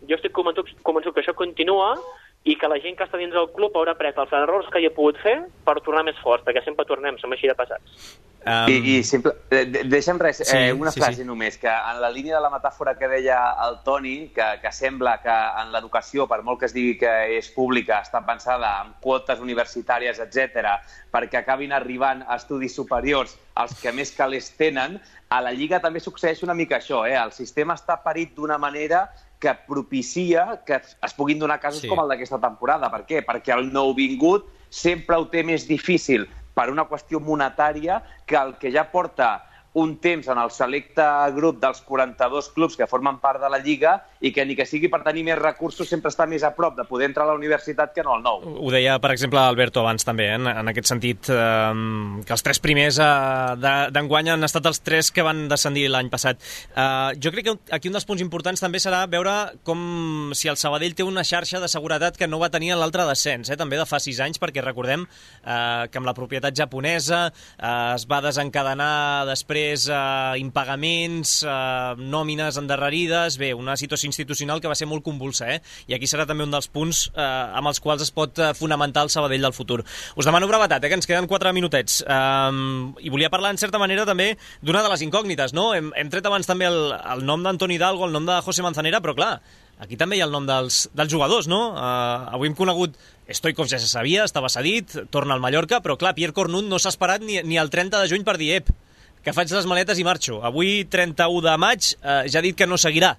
jo estic convençut, convençut que això continua i que la gent que està dins del club haurà pres els errors que hi ha pogut fer per tornar més forts, perquè sempre tornem, som així de passats. Um... I, i simple, de, deixa'm res, sí, eh, una sí, frase sí. només, que en la línia de la metàfora que deia el Toni, que, que sembla que en l'educació, per molt que es digui que és pública, està pensada en quotes universitàries, etcètera, perquè acabin arribant a estudis superiors els que més calés tenen, a la Lliga també succeeix una mica això, eh? El sistema està parit d'una manera que propicia que es puguin donar casos sí. com el d'aquesta temporada. Per què? Perquè el nouvingut sempre ho té més difícil per una qüestió monetària que el que ja porta un temps en el selecte grup dels quaranta-dos clubs que formen part de la Lliga i que ni que sigui per tenir més recursos sempre està més a prop de poder entrar a la universitat que no al nou. Ho deia, per exemple, Alberto abans també, eh? en, en aquest sentit, eh, que els tres primers eh, d'enguany han estat els tres que van descendir l'any passat. Eh, jo crec que aquí un dels punts importants també serà veure com si el Sabadell té una xarxa de seguretat que no va tenir en l'altre descens, eh? també de fa sis anys, perquè recordem eh, que amb la propietat japonesa eh, es va desencadenar després Uh, impagaments, uh, nòmines endarrerides, bé, una situació institucional que va ser molt convulsa, eh? I aquí serà també un dels punts uh, amb els quals es pot uh, fonamentar el Sabadell del futur. Us demano brevetat, eh, que ens queden quatre minutets. Um, I volia parlar, en certa manera, també d'una de les incògnites, no? Hem, hem tret abans també el, el nom d'Antoni Hidalgo, el nom de José Manzanera, però clar, aquí també hi ha el nom dels, dels jugadors, no? Uh, avui hem conegut Stoikov, ja se sabia, estava cedit, torna al Mallorca, però clar, Pierre Cornut no s'ha esperat ni, ni el trenta de juny per dir ep, que faig les maletes i marxo. Avui, trenta-u de maig, eh, ja ha dit que no seguirà.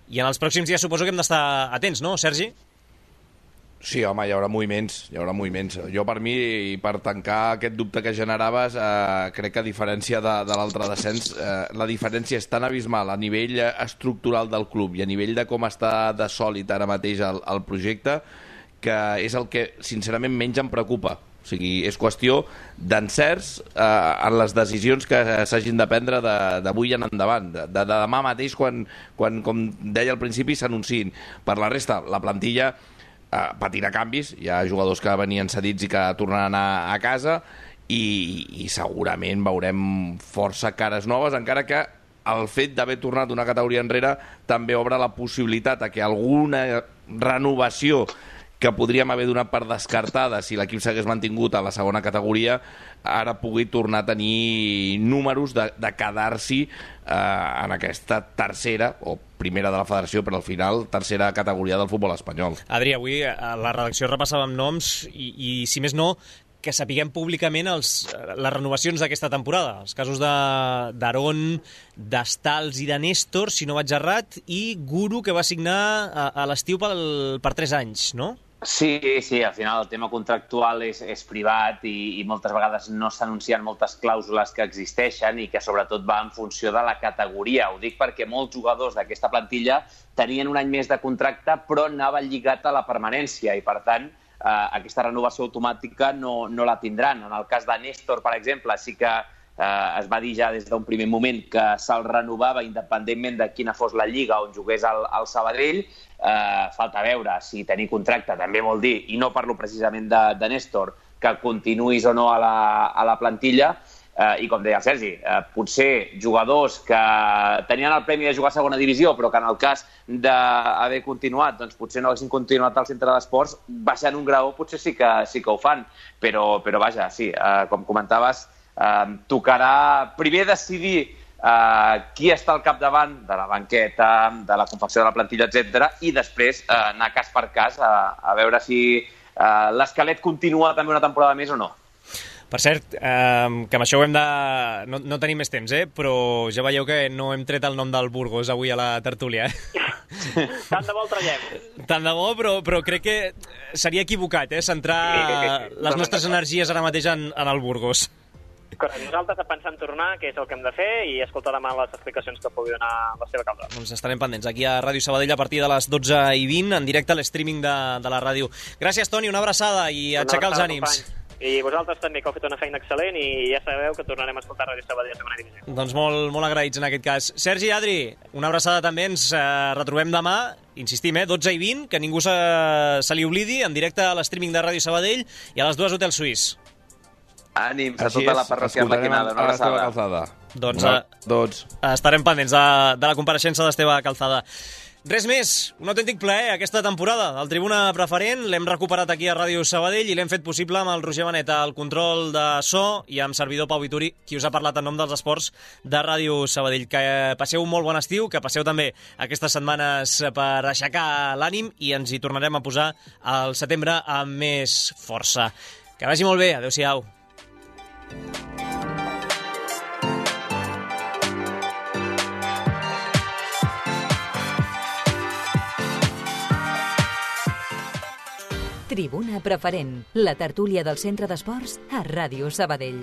I en els pròxims dies suposo que hem d'estar atents, no, Sergi? Sí, home, hi haurà moviments, hi haurà moviments. Jo, per mi, i per tancar aquest dubte que generaves, eh, crec que a diferència de, de l'altre descens, eh, la diferència és tan abismal a nivell estructural del club i a nivell de com està de sòlid ara mateix el, el projecte, que és el que, sincerament, menys em preocupa. O sigui, és qüestió d'encerts eh, en les decisions que s'hagin de prendre d'avui en endavant, de, de demà mateix quan, quan, com deia al principi, s'anunciïn. Per la resta, la plantilla eh, patirà canvis, hi ha jugadors que venien cedits i que tornaran a, a casa i, i segurament veurem força cares noves, encara que el fet d'haver tornat una categoria enrere també obre la possibilitat a que alguna renovació que podríem haver donat per descartada si l'equip s'hagués mantingut a la segona categoria, ara pugui tornar a tenir números de, de quedar-s'hi eh, en aquesta tercera, o primera de la federació, però al final tercera categoria del futbol espanyol. Adri, avui a la redacció repassàvem noms i, i si més no, que sapiguem públicament els, les renovacions d'aquesta temporada. Els casos d'Aaron, d'Estals i de Néstor, si no vaig errat, i Guru, que va signar a, a l'estiu per tres anys, no? Sí, sí, al final el tema contractual és, és privat i, i moltes vegades no s'anuncien moltes clàusules que existeixen i que sobretot va en funció de la categoria. Ho dic perquè molts jugadors d'aquesta plantilla tenien un any més de contracte però anava lligat a la permanència i per tant eh, aquesta renovació automàtica no, no la tindran. En el cas de Néstor, per exemple, sí que eh, es va dir ja des d'un primer moment que se'l renovava independentment de quina fos la lliga on jugués el, el Sabadell. Uh, falta veure si tenir contracte també vol dir, i no parlo precisament de, de Néstor, que continuïs o no a la, a la plantilla, uh, i com deia el Sergi, uh, potser jugadors que tenien el premi de jugar a segona divisió, però que en el cas d'haver continuat, doncs potser no haguessin continuat al centre d'esports, baixant un graó potser sí que, sí que ho fan, però, però vaja, sí, uh, com comentaves, uh, tocarà primer decidir Uh, qui està al capdavant de la banqueta, de la confecció de la plantilla, etcètera, i després uh, anar cas per cas a, a veure si uh, l'esquelet continua també una temporada més o no. Per cert, eh, que amb això ho hem de... No, no tenim més temps, eh? Però ja veieu que no hem tret el nom del Burgos avui a la tertúlia. Eh? Tant de bo el traiem. Tant de bo, però, però crec que seria equivocat, eh? Centrar les nostres energies ara mateix en, en el Burgos. Correcte. Nosaltres a pensar en tornar, que és el que hem de fer, i escoltar demà les explicacions que pugui donar la seva causa. Doncs estarem pendents aquí a Ràdio Sabadell a partir de les dotze i vint, en directe a l'streaming de, de la ràdio. Gràcies, Toni, una abraçada i una aixecar abraçada, els ànims. Company. I vosaltres també, que heu fet una feina excel·lent i ja sabeu que tornarem a escoltar Ràdio Sabadell a segona divisió. Doncs molt, molt agraïts en aquest cas. Sergi, Adri, una abraçada també, ens eh, retrobem demà, insistim, eh, dotze i vint, que ningú se, se li oblidi, en directe a l'streaming de Ràdio Sabadell i a les dues Hotel Suís. Ànims a tota la parròquia Arlequinada, una abraçada. Doncs, eh, doncs estarem pendents de, de la compareixença d'Esteve Calzada. Res més, un autèntic plaer aquesta temporada. El Tribuna Preferent l'hem recuperat aquí a Ràdio Sabadell i l'hem fet possible amb el Roger Benet al control de so i amb servidor Pau Vituri, qui us ha parlat en nom dels esports de Ràdio Sabadell. Que passeu un molt bon estiu, que passeu també aquestes setmanes per aixecar l'ànim i ens hi tornarem a posar al setembre amb més força. Que vagi molt bé, adeu-siau. Tribuna Preferent, la tertúlia del Centre d'Esports a Ràdio Sabadell.